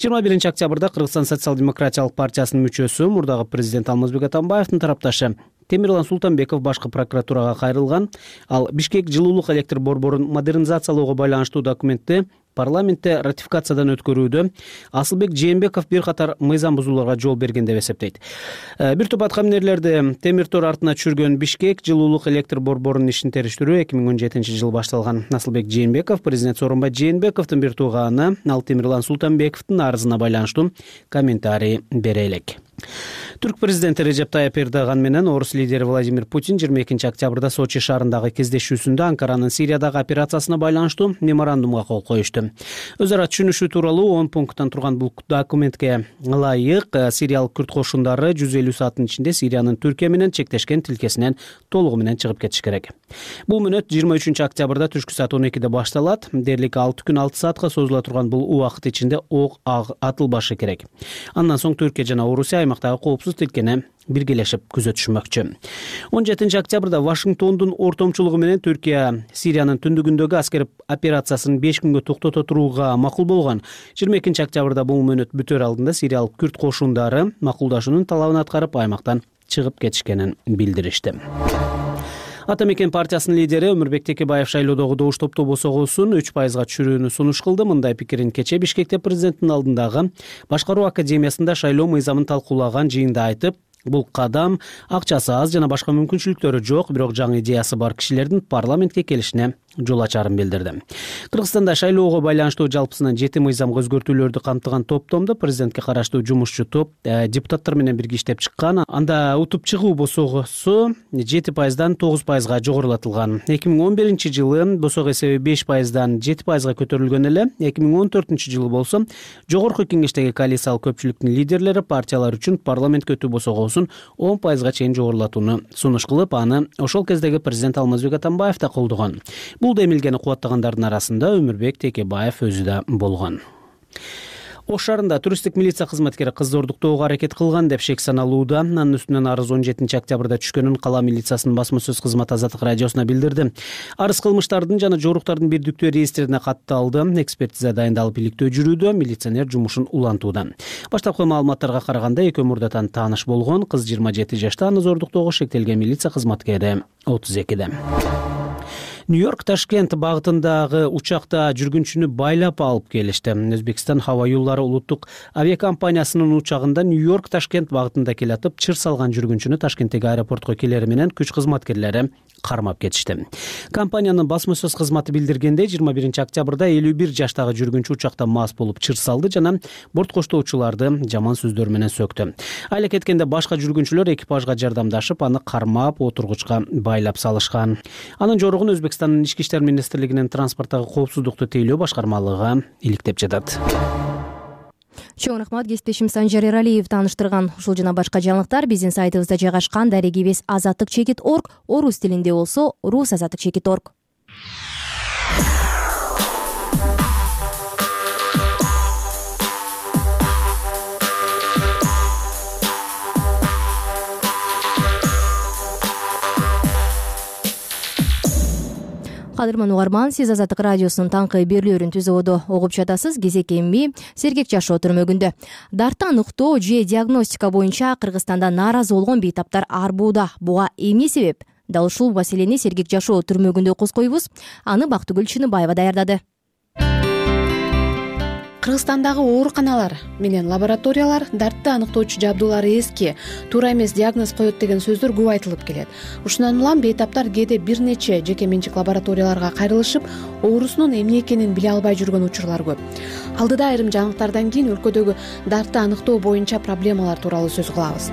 21 октябрда Кыргызстан социал-демократиялык партиясынын мүчөсү, мурдагы президент Алмазбек Атамбаевдин тарапташы Темирлан Султанбеков башкы прокуратурага кайрылган. Ал Бишкек жылуулук электр борборун модернизациялоого байланыштуу документти парламентте ратификациядан өткөрүүдө Асылбек Жээнбеков бир катар мыйзам бузууларга жол берген деп эсептейт. Бир топ аткаминерлерди темир тор артына түшүргөн Бишкек жылуулук электр борборунун ишин териштирүү 2017 жылы башталган. Асылбек Жээнбеков президент Сооронбай Жээнбековдун бир тууганы ал Темирлан Султанбековдун арызына байланыштуу комментарий бере элек. Түрк президенти Режеп Тайып Эрдоган менен орус лидери Владимир Путин 22 октябрда Сочи шаарындагы кездешүүсүндө Анкаранын Сириядагы операциясына байланыштуу меморандумга кол коюшту. Өз ара түшүнүшүү тууралуу 10 пункттан турган бул документке ылайык сириялык күрд кошундары 150 сааттын ичинде Сириянын Түркия менен чектешкен тилкесинен толугу менен чыгып кетиш керек. Бул мүнөт 23 октябрда түшкү саат 12-де башталат. Дээрлик 6 күн 6 саатка созула турган бул убакыт ичинде ок атылбашы керек. Андан соң Түркия жана Орусия аймактагы коопсуз тилкени биргелешип күзөтүшмөкчү. 17 октябрда Вашингтондун ортомчулугу менен Түркия Сириянын түндүгүндөгү аскер операциясын 5 күнгө токтото турууга макул болгон. 22 октябрда бул мүнөт бүтөр алдында сириялык күрд кошундары макулдашуунун талабын аткарып аймактан чыгып кетишкенин билдиришти. Ата мекен партиясынын лидери Өмүрбек Текебаев шайлоодогу добуш тобосогуусун 3%га түшүрүүнү сунуш кылды. Мындай пикирин кече Бишкекте президенттин алдындагы башкаруу академиясында шайлоо мыйзамын талкуулаган жыйында айтып, бул кадам акчасы аз жана башка мүмкүнчүлүктөрү жок, бирок жаңы идеясы бар кишилердин парламентке келишине жол ачарын билдирди. Кыргызстанда шайлоого байланыштуу жалпысынан 7 мыйзамга өзгөртүүлөрдү камтыган топтомдо президентке караштуу жумушчу топ депутаттар менен бирге иштеп чыккан. Анда утуп чыгуу босогусу 7%дан 9%га жогорулатылган. 2011 жылы босого эсеби 5%дан 7%га көтөрүлгөн эле. 2014 жылы болсо жогорку кеңештеги коалициялык көпчүлүктүн лидерлери партиялар үчүн парламентке өтүү босогосун 10%га чейин жогорулатууну сунуш кылып, аны ошол кездеги президент Алмазбек Атамбаев да колдогон. Бул демилгени кубаттагандардын арасында Өмүрбек Текебаев өзү да болгон. Ош шаарында туристтик милиция кызматкери кызды ордуктоого аракет кылган деп шек саналууда. Анын үстүнөн арыз 17 октябрда түшкөнүн кала милициясынын басма сөз кызматы Азаттык радиосуна билдирди. Арыз кылмыштардын жана жоруктардын бирдиктүү реестрине катталды. Экспертиза дайындалып иликтөө жүрүүдө, милиционер жумушун улантууда. Баштапкы маалыматтарга караганда экөө мурдатан тааныш болгон. Кыз 27 жашта, аны зордуктоого шектелген милиция кызматкери 32-де. Нью-Йорк Ташкент багытындагы учакта жүргүнчүнү байлап алып келишти. Өзбекстан Хаба юллары улуттук авиакомпаниясынын учагында Нью-Йорк Ташкент багытында келатып, чыр салган жүргүнчүнү Ташкенттеги аэропортко келери менен күч кызматкерлери кармап кетишти. Компаниянын басма сөз кызматы билдиргендей, 21 октябрда 51 жаштагы жүргүнчү учакта мас болуп чыр салды жана борт коштоочуларды жаман сөздөр менен сөктү. Айла кеткенде башка жүргүнчүлөр экипажга жардамдашып, аны кармап отургучка байлап салышкан. Анын жоругун Өзбекстандын Ички иштер министрлигинин транспорттогу коопсуздукту тейлөө башкармалыгы иликтеп жатат. Чоң рахмат, кесиптешим Санжар Эралиев тааныштырган. Ушул жана башка жаңылыктар биздин сайтыбызда жайгашкан. Дарегибиз azattik.org, орус тилинде болсо rusazattik.org. Кадырман угарман, сиз Азаттык радиосунун таңкы берүүлөрүн түзөөдө угуп жатасыз. Кезек эми сергек жашоо түрмөгүндө. Дартты аныктоо же диагностика боюнча Кыргызстанда нааразы болгон бейтаптар арбууда. Буга эмне себеп? Дал ушул маселени сергек жашоо түрмөгүндө козгойбуз. Аны Бактыгүл Чыныбаева даярдады. Кыргызстандагы ооруканалар менен лабораториялар дартты аныктоочу жабдуулары эски, туура эмес диагноз коет деген сөздөр көп айтылып келет. Ушундан улам бейтаптар кээде бир нече жеке менчик лабораторияларга кайрылышып, оорусунун эмне экенин биле албай жүргөн учурлар көп. Алдыда айрым жаңылыктардан кийин өлкөдөгү дартты аныктоо боюнча проблемалар тууралуу сөз кылабыз.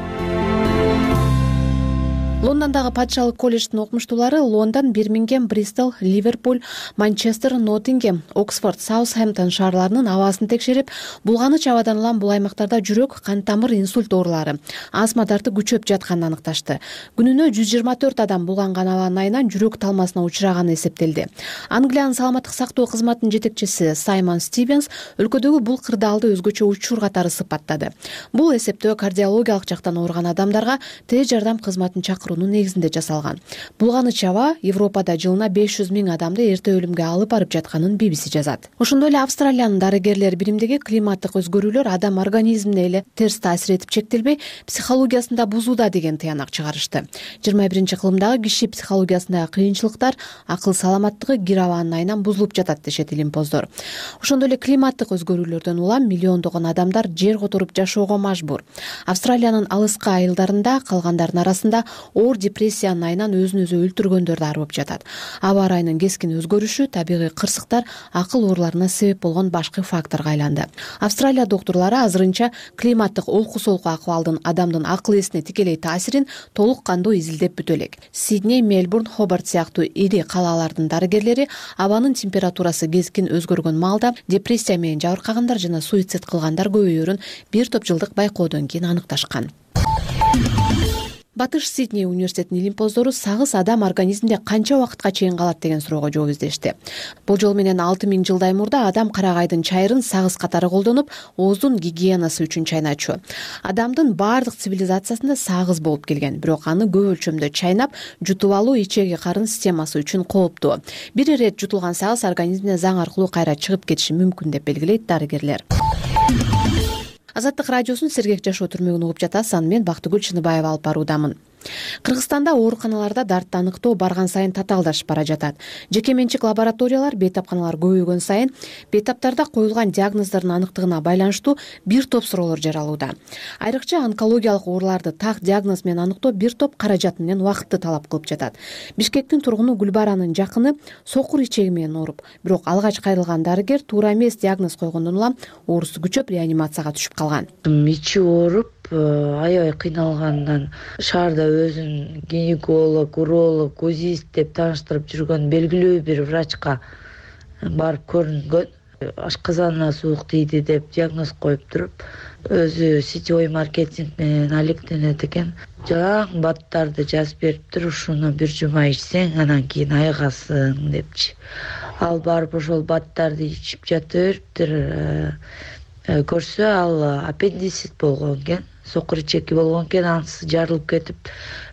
Лондондогу патшалык колледждин окумуштуулары Лондон, Бирмингем, Бристол, Ливерпуль, Манчестер, Ноттингем, Оксфорд, Саутхэмптон шаарларынын абасын текшерип, булганыч абадан улам бул аймактарда жүрөк, кан тамыр, инсульт оорулары, астма дарты күчөп жатканын аныкташты. Күнүнө 124 адам булганган абанын айынан жүрөк талмасына учураганы эсептелди. Англиянын саламаттык сактоо кызматынын жетекчиси Саймон Стивенс өлкөдөгү бул кырдаалды өзгөчө учур катары сыпаттады. Бул эсептөө кардиологиялык жактан ооруган адамдарга тез жардам кызматын чакыруунун негизинде жасалган. Булганыч аба Европада жылына 500 000 адамды эрте өлүмгө алып барып жатканын BBC жазат. Ошондой эле Австралиянын дарыгерлер биримдеги климаттык өзгөрүүлөр адам организмине эле терс таасир этип чектелбей, психологиясында бузууда деген тыянак чыгарышты. 21-кылымдагы киши психологиясындагы кыйынчылыктар, акыл саламаттыгы кир абанын айынан бузулуп жатат дешет илимпоздор. Ошондой эле климаттык өзгөрүүлөрдөн улам миллиондогон адамдар жер которуп жашоого мажбур. Австралиянын алыскы айылдарында калгандардын арасында оор депрессиянын айынан өзүн өзү өлтүргөндөр да арбып жатат. Аба ырайынын кескин өзгөрүшү табигый кырсыктар акыл ооруларына себеп болгон башкы факторго айланды. Австралия доктурлары азырынча климаттык олку солку акыбалдын адамдын акыл эсине тикелей таасирин толук кандуу изилдеп бүтө элек. Сидней, Мельбурн, Хобарт сыяктуу ири калалардын дарыгерлери абанын температурасы кескин өзгөргөн маалда депрессия менен жабыркагандар жана суицид кылгандар көбөйөрүн бир топ жылдык байкоодон кийин аныкташкан. Батыш Сидней университетинин илимпоздору сагыз адам организмде канча убакытка чейин калат деген суроого жооп издешти. Болжол менен 6000 жылдай мурда адам карагайдын чайрын сагыз катары колдонуп, ооздун гигиенасы үчүн чайначу. Адамдын баардык цивилизациясында сагыз болуп келген, бирок аны көп өлчөмдө чайнап, жутуп алуу ичеги карын системасы үчүн кооптуу. Бир ирет жутулган сагыз организмине заң аркылуу кайра чыгып кетиши мүмкүн деп белгилейт дарыгерлер. Азаттык радиосунун сергек жашоо түрмөгүн угуп жатасыз. Аны мен Бактыгүл Чыныбаева алып баруудамын. Кыргызстанда ооруканаларда дартты аныктоо барган сайын татаалдашып бара жатат. Жеке менчик лабораториялар, бейтапканалар көбөйгөн сайын бейтаптарда коюлган диагноздордун аныктыгына байланыштуу бир топ суроолор жаралууда. Айрыкча онкологиялык ооруларды так диагноз менен аныктоо бир топ каражат менен убакытты талап кылып жатат. Бишкектин тургуну Гүлбаранын жакыны сокур ичеги менен ооруп, бирок алгач кайрылган дарыгер туура эмес диагноз койгондон улам оорусу күчөп реанимацияга түшүп калган. Ичи ооруп, аябай кыйналгандан шаарда өзүн гинеколог, уролог, УЗИст деп тааныштырып жүргөн белгилүү бир врачка барып көрүнгөн. Ашказанына суук тийди деп диагноз коюп туруп, өзү сетевой маркетинг менен алектенет экен. Жалаң баттарды жазып бериптир, ушуну бир жума ичсең, анан кийин айыгасың депчи. Ал барып ошол баттарды ичип жата бериптир. көрсө ал аппендицит болгон экен, сокур ичеки болгон экен, анысы жарылып кетип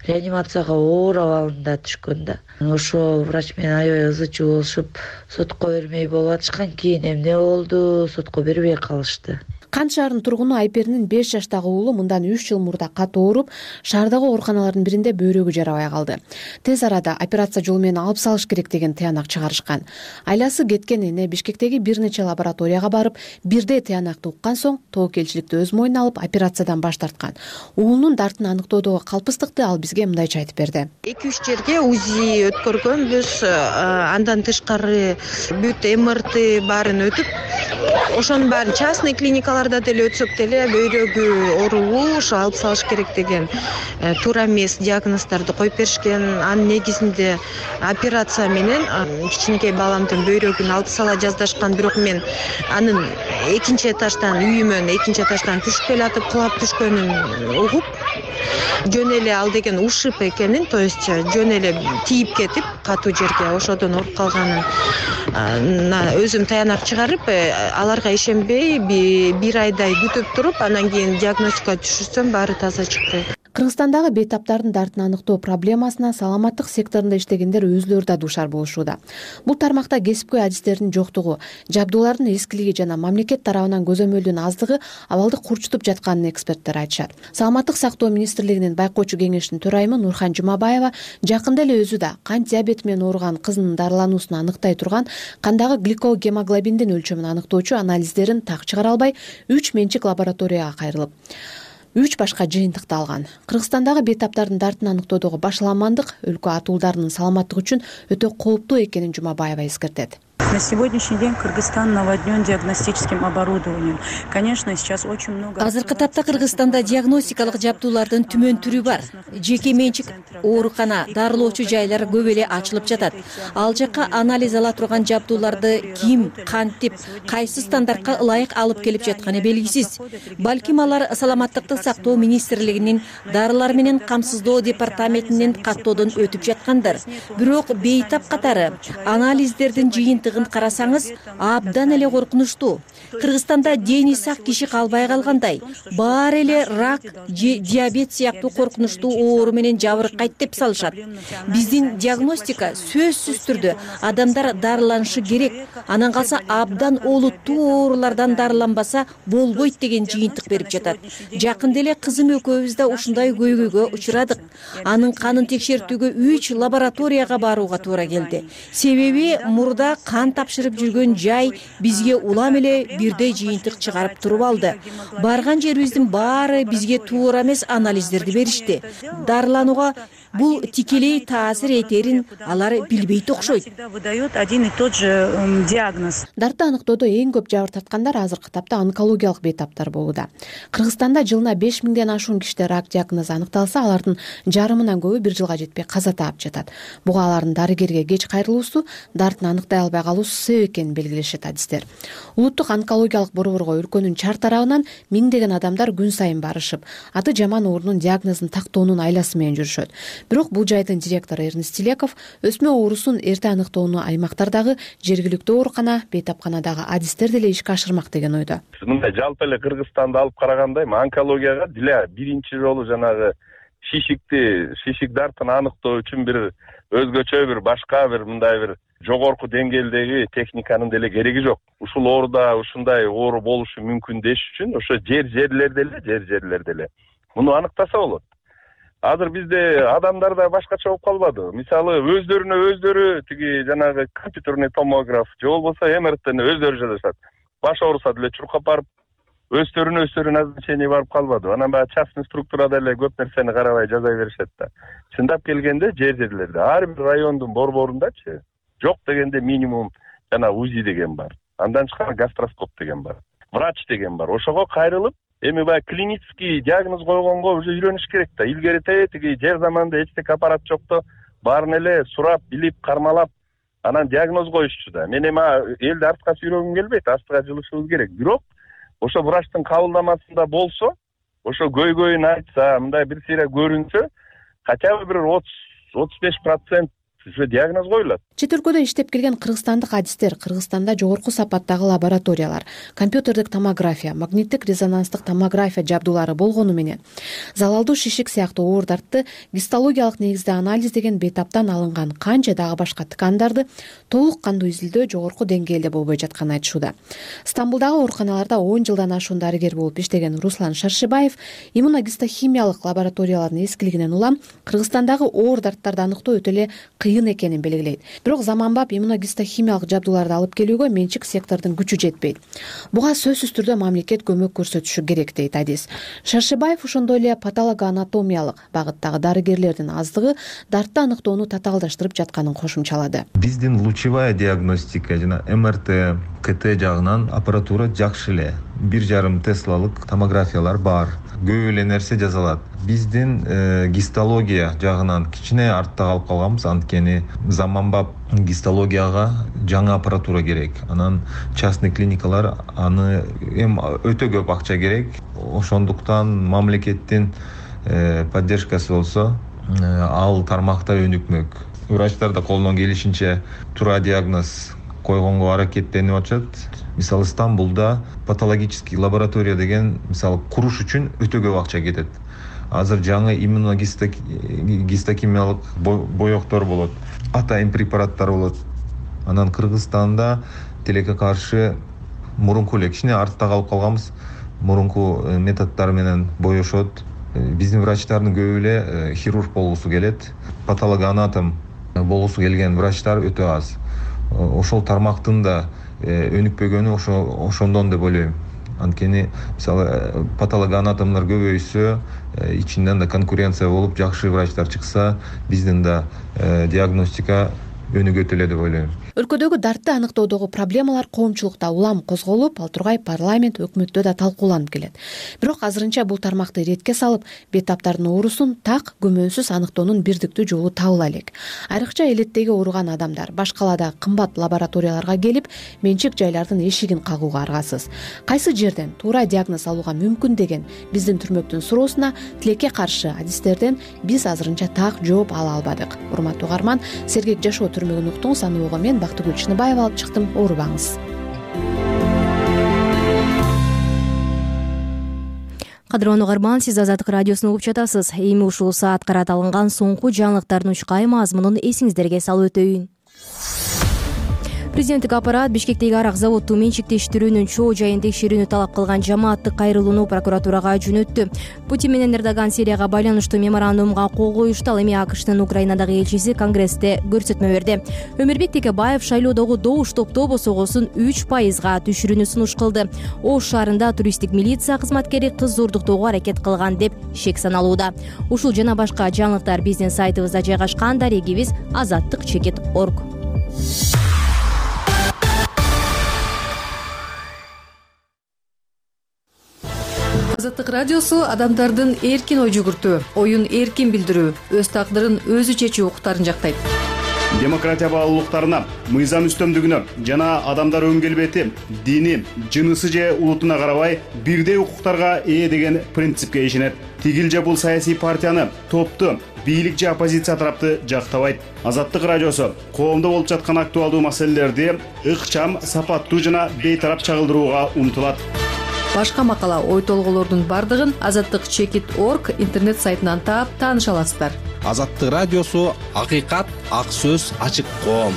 реанимацияга оор абалында түшкөн да. Ошо врач менен аябай ызы чуу болушуп, сотко бермей болуп атышкан. Кийин эмне болду, сотко бербей калышты. Кант шаарынын тургуну Айперинин 5 жаштагы уулу мындан 3 жыл мурда катуу ооруп, шаардагы ооруканалардын биринде бөйрөгү жарабай калды. Тез арада операция жолу менен алып салыш керек деген тыянак чыгарышкан. Айласы кеткен эне Бишкектеги бир нече лабораторияга барып, бирдей тыянакты уккан соң тоокелчиликти өз мойнуна алып операциядан баш тарткан. Уулунун дартын аныктоодогу калпыстыкты ал бизге мындайча айтып берди. 2-3 жерге УЗИ өткөргөнбүз, андан тышкары бүт МРТ баарын өтүп, ошонун баарын частный клиникалар деле өтсөк деле бөйрөгү ооруу, ошо алып салыш керек деген туура эмес диагноздорду коюп беришкен. Анын негизинде операция менен кичинекей баламдын бөйрөгүн алып сала жаздашкан, бирок мен анын экинчи этаждан үйүмөн экинчи этаждан түшүп келатып кулап түшкөнүн угуп, жөн эле ал деген ушиб экенин, то есть жөн эле тийип кетип катуу жерге ошодон ооруп калганын өзүм таянак чыгарып, аларга ишенбей бир айдай күтүп туруп, анан кийин диагностика түшүрсөм баары таза чыкты. Кыргызстандагы бейтаптардын дартын аныктоо проблемасына саламаттык секторунда иштегендер өзүлөрү да дуушар болушууда. Бул тармакта кесипкөй адистердин жоктугу, жабдуулардын эскилиги жана мамлекет тарабынан көзөмөлдүн аздыгы абалды курчутуп жатканын эксперттер айтышат. Саламаттык сактоо министрлигинин байкоочу кеңешинин төрайымы Нурхан Жумабаева жакында эле өзү да кант диабети менен ооруган кызынын дарылануусун аныктай турган кандагы гликогемоглобиндин өлчөмүн аныктоочу анализдерин так чыгара албай 3 менчик лабораторияга кайрылып 3 башка жыйынтыкты алган. Кыргызстандагы бейтаптардын дартын аныктоодогу башаламандык өлкө атуулдарынын саламаттыгы үчүн өтө кооптуу экенин Жумабаева эскертет. На сегодняшний день Кыргызстан наводнен диагностическим оборудованием. Конечно, сейчас очень много... Азыркы тапта Кыргызстанда диагностикалык жабдуулардын түмөн түрү бар. Жеке менчик оорукана, дарылоочу жайлар көп эле ачылып жатат. Ал жакка анализ ала турган жабдууларды ким, кантип, кайсы стандартка ылайык алып келип жатканы белгисиз. Балким алар саламаттыкты сактоо министрлигинин дарылар менен камсыздоо департаментинин каттоодон өтүп жаткандар. Бирок бейтап катары анализдердин жыйынтыгын карасаңыз абдан эле коркунучтуу. Кыргызстанда дени сак киши калбай калгандай, баары эле рак, диабет сыяктуу коркунучтуу оору менен жабыркайт деп салышат. Биздин диагностика сөзсүз түрдө адамдар дарыланышы керек, анан калса абдан олуттуу оорулардан дарыланбаса болбойт деген жыйынтык берип жатат. Жакында эле кызым экөөбүз да ушундай көйгөйгө учурадык. Анын канын текшертүүгө 3 лабораторияга барууга туура келди. Себеби мурда кан тапшырып жүргөн жай бизге улам эле бирдей жыйынтык чыгарып туруп алды. Барган жерибиздин баары бизге туура эмес анализдерди беришти. Дарыланууга бул тикелей таасир этерин алар билбейт окшойт. Выдает один и тот же диагноз. Дартты аныктоодо эң көп жабыр тарткандар азыркы тапта онкологиялык бейтаптар болууда. Кыргызстанда жылына 5000ден ашуун кишиде рак диагнозу аныкталса, алардын жарымынан көбү 1 жылга жетпей каза таап жатат. Буга алардын дарыгерге кеч кайрылуусу, дартын аныктай албай калуусу себеп экенин белгилешет адистер. Улуттук онкологиялык борборго өлкөнүн чар тарабынан миңдеген адамдар күн сайын барышып, аты жаман оорунун диагнозун тактоонун айласы менен жүрүшөт. Бирок бул жайдын директору Эрнест Телеков өсмө оорусун эрте аныктоону аймактардагы жергиликтүү оорукана, бейтапканадагы адистер деле ишке ашырмак деген ойдо. Мындай жалпы эле Кыргызстанды алып караганда онкологияга деле биринчи жолу жанагы шишик дартын аныктоо үчүн бир өзгөчө бир башка бир мындай бир жогорку деңгээлдеги техниканын деле кереги жок. Ушул ооруда ушундай оору болушу мүмкүн деш үчүн ошо жерлерде эле муну аныктаса болот. Азыр бизде адамдар да башкача болуп калбады. Мисалы өздөрүнө өздөрү тиги жанагы компьютерный томограф же болбосо МРТни өздөрү жасашат. Баш ооруса деле чуркап барып өздөрүнө назначение барып калбады. Анан баягы частный структурада эле көп нерсени карабай жаза беришет да. Чындап келгенде жерлерде ар бир райондун борборундачы жок дегенде минимум жана УЗИ деген бар. Андан тышкары гастроскоп деген бар. Врач деген бар. Ошого кайрылып, эми баягы клинический диагноз койгонго уже үйрөнүш керек да. Илгерите тиги жер заманда эчтеке аппарат жокто баарын эле сурап, билип, кармалап, анан диагноз коюшчу да. Мен эми элди артка сүйрөгүм келбейт, астыга жылышыбыз керек. Бирок ошо врачтын кабылдамасында болсо, ошо көйгөйүн айтса, мындай бир сыйра көрүнсө, хотя бы бир 30-35% уже диагноз коюлат. Чет өлкөдө иштеп келген кыргызстандык адистер Кыргызстанда жогорку сапаттагы лабораториялар, компьютердик томография, магниттик резонанстык томография жабдуулары болгону менен залалдуу шишик сыяктуу оордарды гистологиялык негизде анализдеген бейтаптан алынган канча дагы башка ткандарды толук кандуу изилдөө жогорку деңгээлде болбой жатканын айтышууда. Стамбулдагы ооруканаларда 10 жылдан ашуун дарыгер болуп иштеген Руслан Шаршибаев иммуногистохимиялык лабораториялардын эскилигинен улам Кыргызстандагы оор дарттарды аныктоо өтө эле кыйын экенин белгилейт. Бирок заманбап иммуногистохимиялык жабдууларды алып келүүгө менчик сектордун күчү жетпейт. Буга сөзсүз түрдө мамлекет көмөк көрсөтүшү керек дейт адис. Шаршибаев ошондой эле патологоанатомиялык багыттагы дарыгерлердин аздыгы дартты аныктоону татаалдаштырып жатканын кошумчалады. Биздин лучевая диагностика жана МРТ, КТ жагынан аппаратура жакшы эле. 1,5 теслалык томографиялар бар. Көп эле нерсе жазалат. Биздин гистология жагынан кичине артта калып калганбыз, анткени заманбап гистологияга жаңы аппаратура керек. Анан частный клиникалар аны өтө көп акча керек. Ошондуктан мамлекеттин поддержкасы болсо ал тармакта өнүкмөк. Врачтар да колунан келишинче туура диагноз койгонго аракеттенип атышат. Мисалы Стамбулда патологический лаборатория деген мисалы куруш үчүн өтө көп акча кетет. Азыр жаңы иммуногистохимиялык боектор болот, атайын препараттар болот. Анан Кыргызстанда тилекке каршы мурунку эле кичине артта калып калганбыз. Мурунку методдор менен боешот. Биздин врачтардын көбү эле хирург болгусу келет. Патологоанатом болгусу келген врачтар өтө аз. Ошол тармактын да өнүкпөгөнү ошондон деп ойлойм. Анткени мисалы патологоанатомдор көбөйсө, ичинден да конкуренция болуп, жакшы врачтар чыкса, биздин да диагностика өнүгөт эле деп ойлойм. Өлкөдөгү дартты аныктоодогу проблемалар коомчулукта улам козголуп, ал тургай парламент, өкмөттө да талкууланып келет. Бирок азырынча бул тармакты иретке салып, бейтаптардын оорусун так күмөнсүз аныктоонун бирдиктүү жолу табыла элек. Айрыкча элеттеги ооруган адамдар баш каладагы кымбат лабораторияларга келип, менчик жайлардын эшигин кагууга аргасыз. Кайсы жерден туура диагноз алууга мүмкүн деген биздин түрмөктүн суроосуна тилекке каршы адистерден биз азырынча так жооп ала албадык. Урматтуу угарман, Сергек жашоо түрмөгүн уктуңуз, аны ого мен Бактыгүл Чыныбаева алып чыктым. Оорубаңыз. Кадырлуу угарман, сиз Азаттык радиосун угуп жатасыз. Эми ушул саат карат алынган соңку жаңылыктардын учкай мазмунун эсиңиздерге салып өтөйүн. Президенттик аппарат Бишкектеги арак заводду менчиктештирүүнүн чоо жайын текшерүүнү талап кылган жамааттык кайрылууну прокуратурага жөнөттү. Путин менен Эрдоган Сирияга байланыштуу меморандумга кол коюшту. Ал эми АКШтын Украинадагы элчиси Конгрессте көрсөтмө берди. Өмүрбек Текебаев шайлоодогу добуш топтоо босогосун 3%га түшүрүүнү сунуш кылды. Ош шаарында туристтик милиция кызматкери кыз зордуктоого аракет кылган деп шек саналууда. Ушул жана башка жаңылыктар биздин сайтыбызда жайгашкан. Дарегибиз azattik.org. Азаттык радиосу адамдардын эркин ой жүгүртүү, оюн эркин билдирүү, өз тагдырын өзү чечүү укуктарын жактайт. Демократия баалуулуктарына, мыйзам үстөмдүгүнө жана адамдар өн келбети, дини, жынысы же улутуна карабай бирдей укуктарга ээ деген принципке ишенет. Тигил же бул саясий партияны, топту, бийлик же оппозиция тарапты жактабайт. Азаттык радиосу коомдо болуп жаткан актуалдуу маселелерди ыкчам, сапаттуу жана бейтарап чагылдырууга умтулат. Башка макала, ой толгоолордун бардыгын azattik.org интернет сайтынан таап тааныша аласыздар. Азаттык радиосу акыйкат, ак сөз, ачык коом.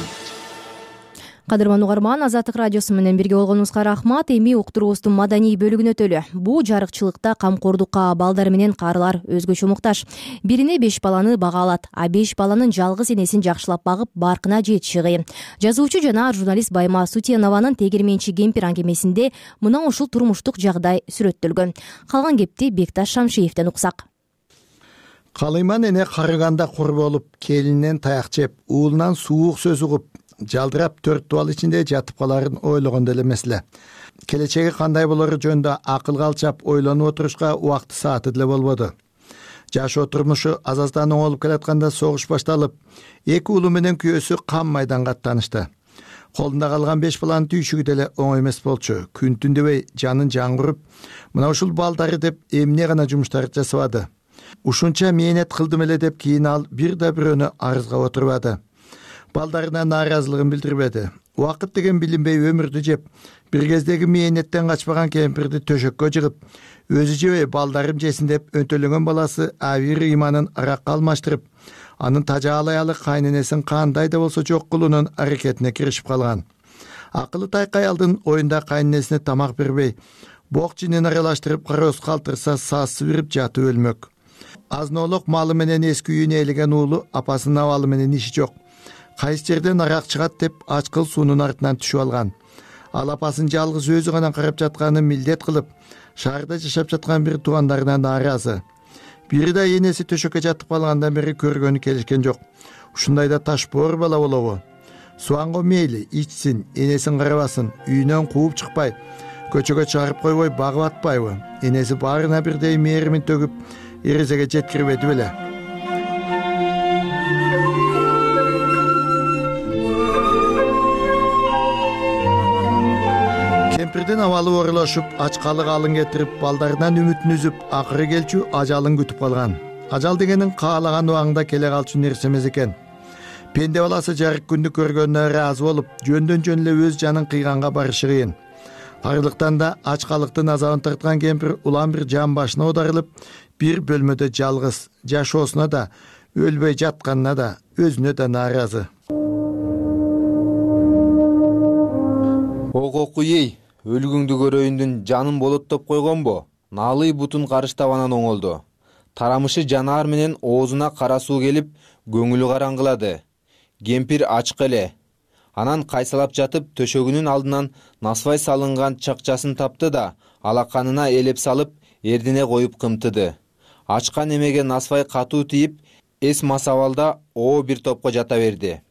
Кадырман угарман, Азаттык радиосу менен бирге болгонуңузга рахмат. Эми уктуруубуздун маданий бөлүгүнө өтөлү. Бул жарыкчылыкта камкордукка балдар менен карылар өзгөчө муктаж. Бирине 5 баланы бага алат, а 5 баланын жалгыз энесин жакшылап багып, баркына жетиши кыйын. Жазуучу жана журналист Байма Сутенованын Тегерменчи кемпир аңгемесинде мына ушул турмуштук жагдай сүрөттөлгөн. Калган кепти Бекташ Шамшиевден уксак. Калыйман эне карыганда кур болуп, келининен таяк жеп, уулунан суук сөз угуп, жалдырап 4 дубал ичинде жатып каларын ойлогондо эле эмес эле. Келечеги кандай болору жөнүндө акылга алчап ойлонуп отурушка убакты сааты деле болбоду. Жашоо турмушу аз-аздан оңолуп келатканда согуш башталып, 2 уулу менен күйөөсү кам майданга аттанышты. Колунда калган 5 баланын түйшүгү деле оңой эмес болчу. Күн түн дебей жанын жаңгырып, мына ушул балдары деп эмне гана жумуштар жасабады. Ушунча мээнет кылдым эле деп кийин ал бир да бирөөнү арызга отурбады. балдарына нааразылыгын билдирбеди. Убакыт деген билинбей өмүрдү жеп, бир кездеги мээнеттен качпаган кемпирди төшөккө жыгып, өзү жебей балдарым жесин деп өтөлөнгөн баласы Авир ыйманын аракка алмаштырып, анын тажаалаялы кайненесин кандай да болсо жок кылуунун аракетине киришип калган. Акылы тайкай алдын оюнда кайненесине тамак бербей, бок жинин аралаштырып кароз калтырса сасы бирип жатып өлмөк. Азноолук малы менен эски үйүнө ээлеген уулу апасынын абалы менен иши жок. Кайсы жерден арак чыгат деп ачкыл суунун артынан түшүп алган. Ал апасын жалгыз өзү гана карап жатканын милдет кылып, шаарда жашап жаткан бир туугандарынан нааразы. Бири да энеси төшөккө жатып калгандан бери көргөнү келишкен жок. Ушундайда ташбоор бала болобу? Суанго мейли ичсин, энесин карабасын, үйүнөн кууп чыкпай, көчөгө чыгарып койбой багып атпайбы? Энеси баарына бирдей мээримин төгүп, эрезеге жеткирбеди беле? Кемпирдин абалы оорулашып, ачкалык алын кетирип, балдарынан үмүтүн үзүп, акыры келчү ажалын күтүп калган. Ажал дегенин каалаган убагында келе калчу нерсе эмес экен. Пенде баласы жарык күндү көргөнүнө ыраазы болуп, жөндөн жөн эле өз жанын кыйганга барышы кыйын. Арлыктан да ачкалыктын азабын тарткан кемпир улам бир жан башына оодарылып, бир бөлмөдө жалгыз, жашоосуна да, өлбөй жатканына да, өзүнө да нааразы. Окуй, өлгүңдү көрөйүндүн жанын болоттоп койгонбу? Наалый бутун карыштап анан оңолду. Тарамышы жанаар менен оозуна кара суу келип, көңүлү караңгылады. Кемпир ачык эле. Анан кайсалап жатып, төшөгүнүн алдынан насвай салынган чакчасын тапты да, алаканына элеп салып, эрдине коюп кымтыды. Ачкан эмеге насвай катуу тийип, эс масабалда бир топко жата берди.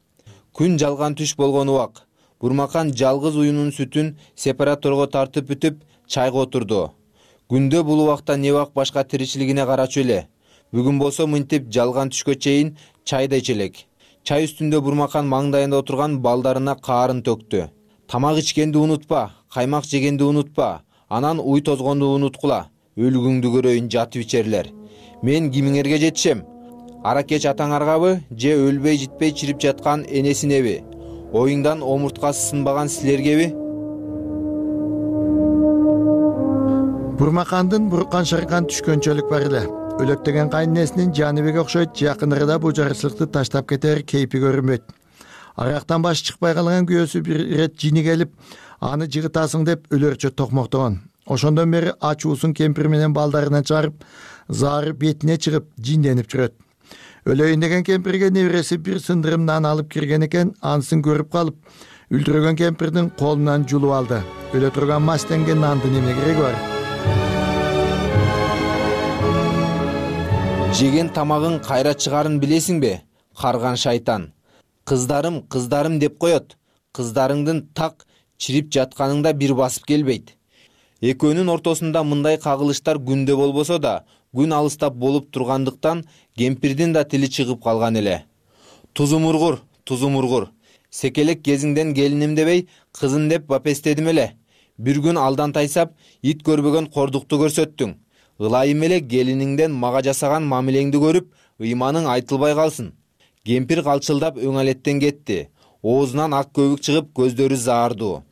Күн жалган түш болгон убак. Бурмакан жалгыз уюнун сүтүн сепараторго тартып бүтүп, чайга отурду. Күндө бул убакта не бак башка тиричилигине карачу эле. Бүгүн болсо мынтип жалган түшкө чейин чай да ичелек. Чай үстүндө Бурмакан маңдайында отурган балдарына каарын төктү. Тамак ичкенди унутпа, каймак жегенди унутпа, анан уй тозгонду унуткула. Өлгүңдү көрөйүн жатып ичерлер. Мен кимиңерге жетишем? Аракеч атаңаргабы, же өлбөй житпей чирип жаткан энесинеби? Оюңдан омурткасы сынбаган силергеби? Бурмакандын буркан шаркан түшкөнчөлүк бар эле. Өлөктөгөн кайненесинин Жаныбек окшойт, жакынырда бул жарычылыкты таштап кетер кейпи көрүнбөйт. Арактан башы чыкпай калган күйөөсү бир ирет жини келип, аны жыгытасың деп өлөрчө токмоктогон. Ошондон бери ачуусун кемпир менен балдарынан чыгарып, заары бетине чыгып, жинденип жүрөт. Өлөйүн деген кемпирге небереси бир сындырым нан алып кирген экен, анысын көрүп калып, үлдүрөгөн кемпирдин колунан жулуп алды. Өлө турган мастенге нандын эмне кереги бар? Жеген тамагың кайра чыгарын билесиңби? Карган шайтан. Кыздарым, кыздарым деп коет. Кыздарыңдын так чирип жатканыңда бир басып келбейт. Экөөнүн ортосунда мындай кагылыштар күндө болбосо да, күн алыстап болуп тургандыктан кемпирдин да тили чыгып калган эле. Тузумургур, тузумургур. Секелек кезиңден келиним дебей, кызын деп бапестедим эле. Бир күн алдан тайсап, ит көрбөгөн кордукту көрсөттүң. Ылайым эле келиниңден мага жасаган мамилеңди көрүп, ыйманың айтылбай калсын. Кемпир калчылдап өңалеттен кетти. Оозунан ак көбүк чыгып, көздөрү заардуу.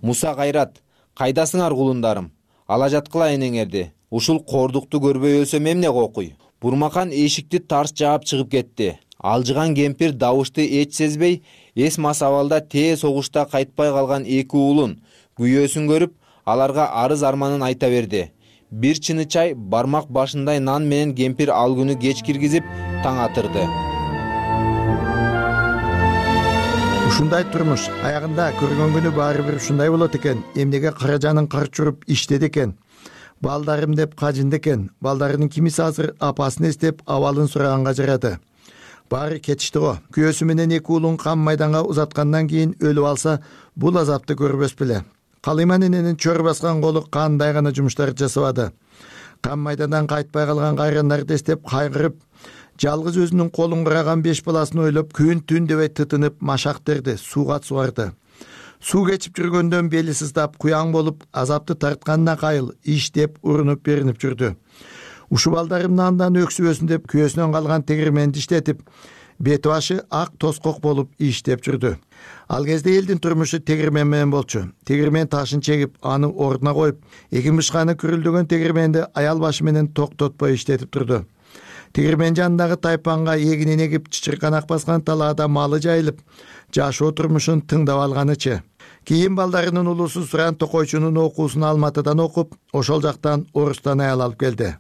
Муса Кайрат, кайдасыңар кулундарым? Ала жаткыла энеңерди. Ушул кордукту көрбөй өлсөм эмне кокуй? Бурмакан эшикти тарс жаап чыгып кетти. Алжыган кемпир добушты эч сезбей, эс масабалда тээ согушта кайтпай калган эки уулун, күйөөсүн көрүп, аларга арыз арманын айта берди. Бир чыны чай, бармак башындай нан менен кемпир ал күнү кеч киргизип, таң атырды. Ушундай турмуш аягында көргөн күнү баары бир ушундай болот экен. Эмнеге каражанын карчуруп иштеди экен. Балдарым деп кажынды экен. Балдарынын кимиси азыр апасын эстеп абалын сураганга жарады. Баары кетишти го. Күйөөсү менен эки уулун кам майданга узаткандан кийин өлүп алса, бул азапты көрбөс беле. Калыйман эненин чөр баскан колу кандай гана жумуштар жасабады. Кам майдандан кайтпай калган кайрандарды эстеп кайгырып, жалгыз өзүнүн колун кураган 5 баласын ойлоп, күн түн дебей тытынып машак терди, сууга сугарды. Суу кечип жүргөндөн бели сыздап, куяң болуп, азапты тартканына кайыл, иштеп, урунуп беринип жүрдү. Ушу балдарымды андан өксүбөсүн деп күйөөсүнөн калган тегирменди иштетип, бети башы ак тоскок болуп иштеп жүрдү. Ал кезде элдин турмушу тегирмен менен болчу. Тегирмен ташын чегип, аны ордуна коюп, экин бышканы күрүлдөгөн тегирменди аял башы менен токтотпой иштетип турду. Тегирмен жанындагы тайпанга эгинин эгип, чычырканак баскан талаада малы жайылып, жашоо турмушун тыңдап алганычы. Кийин балдарынын улусу Суран Токойчунун окуусун Алматыдан окуп, ошол жактан Орустан аял алып келди.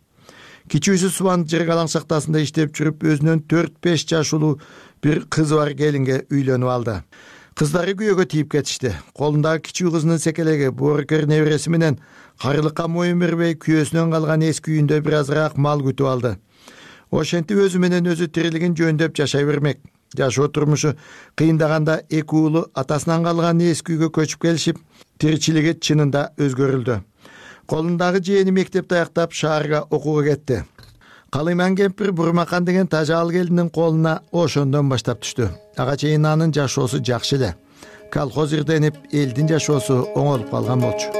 Кичүүсү Субан Жыргалаң шахтасында иштеп жүрүп, өзүнөн 4-5 жашылуу бир кызы бар келинге үйлөнүп алды. Кыздары күйөөгө тийип кетишти. Колундагы кичүү кызынын секелеги боорукер небереси менен карылыкка моюн бербей, күйөөсүнөн калган эски үйүндө бир азыраак мал күтүп алды. Ошентип өзү менен өзү тирилигин жөндөп жашай бермек. Жашоо турмушу кыйындаганда эки уулу атасынан калган эски үйгө көчүп келишип, тиричилиги чынында өзгөрүлдү. Колундагы жээни мектепти аяктап шаарга окууга кетти. Калыйман кемпир Бурмакан деген тажал келиндин колуна ошондон баштап түштү. Ага чейин анын жашоосу жакшы эле. Колхоз ирденип, элдин жашоосу оңолуп калган болчу.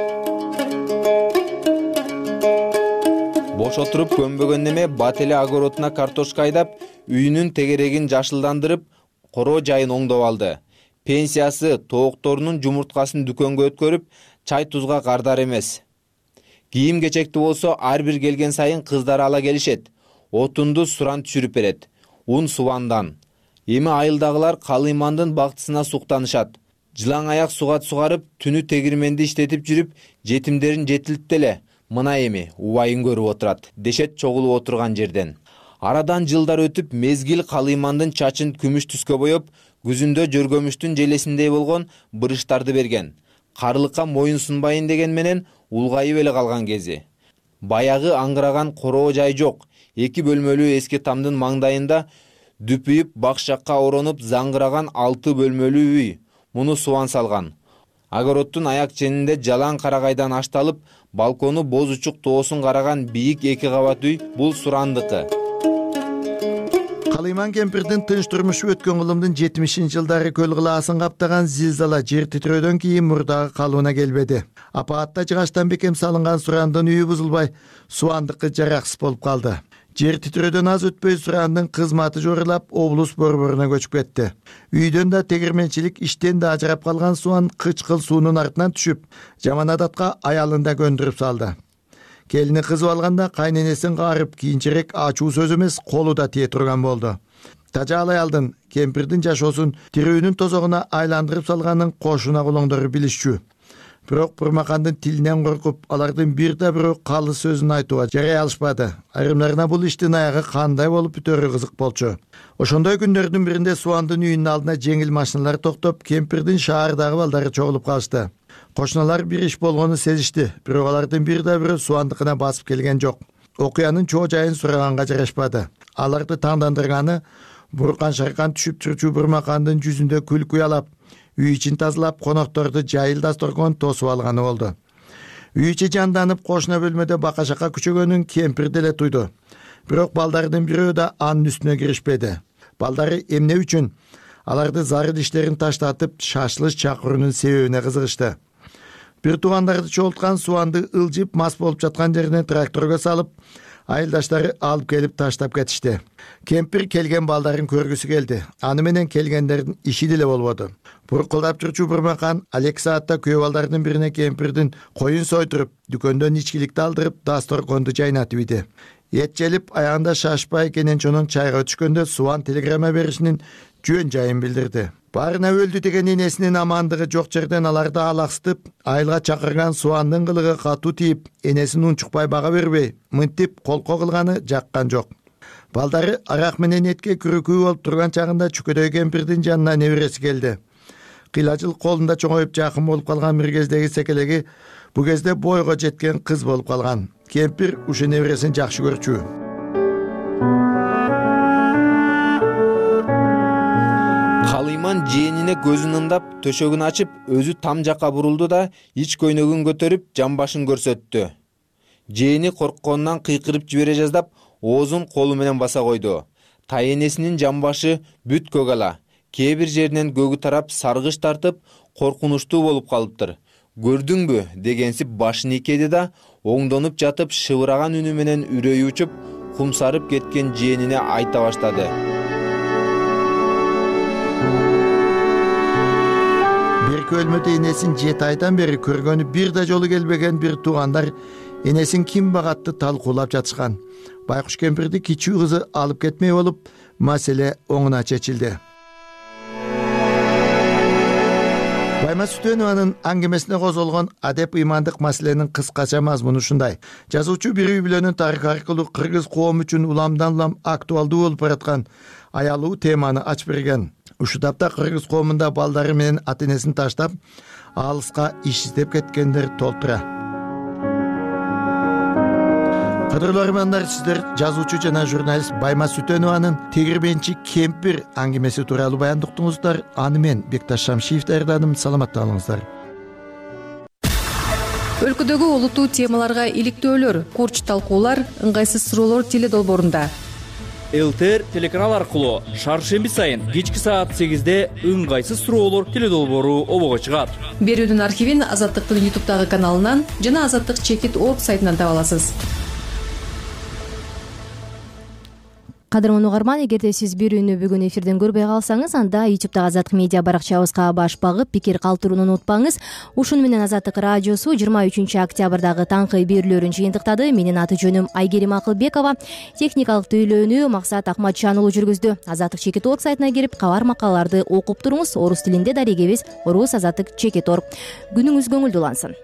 Бош отуруп көнбөгөн неме бат эле огородуна картошка айдап, үйүнүн тегерегин жашылдандырып, короо жайын оңдоп алды. Пенсиясы тоокторунун жумурткасын дүкөнгө өткөрүп, чай тузга кардар эмес. Кийим кечекти болсо ар бир келген сайын кыздары ала келишет. Отунду Суран түшүрүп берет. Ун Субандан. Эми айылдагылар Калыймандын бактысына суктанышат. Жылаң аяк сугат сугарып, түнү тегирменди иштетип жүрүп, жетимдерин жетилтти эле. Мына эми убайын көрүп отурат, дешет чогулуп отурган жерден. Арадан жылдар өтүп, мезгил Калыймандын чачын күмүш түскө боеп, күзүндө жөргөмүштүн желесиндей болгон бырыштарды берген. Карылыкка моюн сунбайын деген менен улгайып эле калган кези. Баягы аңгыраган короо жай жок. 2 бөлмөлүү эски тамдын маңдайында дүпүйүп бакшакка оронуп заңгыраган 6 бөлмөлүү үй. Муну Субан салган. Огороддун аяк ченинде жалаң карагайдан ашталып, балкону боз учук тоосун караган бийик 2 кабат үй бул Сурандыкы. Калыйман кемпирдин тынч турмушу өткөн кылымдын 70-жылдары көл кылаасын каптаган зилзала жер титирөөдөн кийин мурдагы калыбына келбеди. Апаатта жыгачтан бекем салынган Сурандын үйү бузулбай, Субандыкы жараксыз болуп калды. Жер титирөөдөн аз өтпөй Сурандын кызматы жорулап, облус борборуна көчүп кетти. Үйдөн да тегирменчилик иштен да ажырап калган Суан кычкыл суунун артынан түшүп, жаман адатка аялын да көндүрүп салды. Келини кызып алганда кайненесин каарып, кийинчерээк ачуу сөз эмес, колу да тие турган болду. Тажал аялдын кемпирдин жашоосун тирүүнүн тозогуна айландырып салганын кошуна кулоңдору билишчү. Бирок Бурмакандын тилинен коркуп, алардын бир да бирөө калы сөзүн айтууга жарай алышпады. Айрымдарына бул иштин аягы кандай болуп бүтөөрү кызык болчу. Ошондой күндөрдүн биринде Суандын үйүнүн алдына жеңил машиналар токтоп, кемпирдин шаардагы балдары чогулуп калышты. Кошуналар бир иш болгону сезишти, бирок алардын бир да бирөө Суандыкына басып келген жок. Окуянын чоо жайын сураганга жарашпады. Аларды таңдандырганы буркан шаркан түшүп чурчу Бурмакандын жүзүндө күлкү уялап, үй ичин тазалап, конокторду жайыл дасторкон тосуп алганы болду. Үй ичи жанданып, кошуна бөлмөдө бака-шака күчөгөнүн кемпир деле туйду. Бирок балдардын бирөө да анын үстүнө киришпеди. Балдары эмне үчүн аларды зарыл иштерин таштатып, шашылыш чакыруунун себебине кызыгышты. Бир туугандарды чогулткан Суанды ылжып мас болуп жаткан жерине тракторго салып, айылдаштары алып келип таштап кетишти. Кемпир келген балдарын көргүсү келди. Аны менен келгендердин иши деле болбоду. Буркулдап жүрчү Бурмакан 2 саатта күйөө балдардын бирине кемпирдин коюн сойдуруп, дүкөндөн ичкиликти алдырып, дасторконду жайнатып иди. Эт желип, аягында шашпай Кененчонун чайга түшкөндө Суан телеграмма беришинин жөн жайын билдирди. Барына өлдү деген энесинин амандыгы жок жерден аларды алаксытып, айылга чакырган Суандын кылыгы катуу тийип, энесин унчукпай бага бербей, мынтип колко кылганы жаккан жок. Балдары арак менен этке күрүкүү болуп турган чагында чүкөдөй кемпирдин жанына небереси келди. Кыйлажыл колунда чоңоюп жакын болуп калган бир кездеги секелеги бу кезде бойго жеткен кыз болуп калган. Кемпир ушу небересин жакшы көрчү. Калыйман жээнине көзүн ымдап, төшөгүн ачып, өзү там жакка бурулду да, ич көйнөгүн көтөрүп, жамбашын көрсөттү. Жээни коркконунан кыйкырып жибере жаздап, оозун колу менен баса койду. Тайенесинин жамбашы бүт көк ала. Кээ бир жеринен көгү тарап, саргыч тартып, коркунучтуу болуп калыптыр. Көрдүңбү дегенсип башын ийкеди да, оңдонуп жатып, шыбыраган үнү менен үрөйү учуп, кумсарып кеткен жээнине айта баштады. эки бөлмөдө энесин 7 айдан бери көргөнү бир да жолу келбеген бир туугандар энесин ким багатты талкуулап жатышкан. Байкуш кемпирди кичүү кызы алып кетмей болуп, маселе оңуна чечилди. Байма Сүтөнованын аңгемесине козголгон адеп ыймандык маселенин кыскача мазмуну ушундай. Жазуучу бир үй бүлөнүн тарыхы аркылуу кыргыз коому үчүн уламдан улам актуалдуу болуп бараткан аялуу теманы ачып берген. Ушул тапта кыргыз коомунда балдары менен ата энесин таштап, алыска иш издеп кеткендер толтура. Кадырлуу армандар, сиздер жазуучу жана журналист Байма Сүтөнованын Тегирменчи кемпир аңгемеси тууралуу баяндыктыңыздар. Аны мен Бекташ Шамшиев даярдадым. Саламатта болуңуздар. Өлкөдөгү олуттуу темаларга иликтөөлөр, курч талкуулар, ыңгайсыз суроолор теледолбоорунда. ЛТР телеканал аркылуу шаршемби сайын кечки саат 8-де ыңгайсыз суроолор теледолбоору обого чыгат. Берүүнүн архивин Азаттыктын YouTube'дагы каналынан жана Азаттык Чекит.org сайтынан таба аласыз. Кадырман угарман, эгерде сиз берүүнү бүгүн эфирден көрбөй калсаңыз, анда YouTube'дагы Азаттык медиа баракчабызга баш багып, пикир калтырууну унутпаңыз. Ушуну менен Азаттык радиосу 23 октябрдагы таңкы берүүлөрүн жыйынтыктады. Менин аты жөнүм Айгерим Акылбекова. Техникалык тейлөөнү Максат Акматжан уулу жүргүздү. Азаттык Чекит.org сайтына кирип, кабар макалаларды окуп туруңуз. Орус тилинде дарегебиз Орус Азаттык Чекит.org. Күнүңүз көңүлдүү улансын.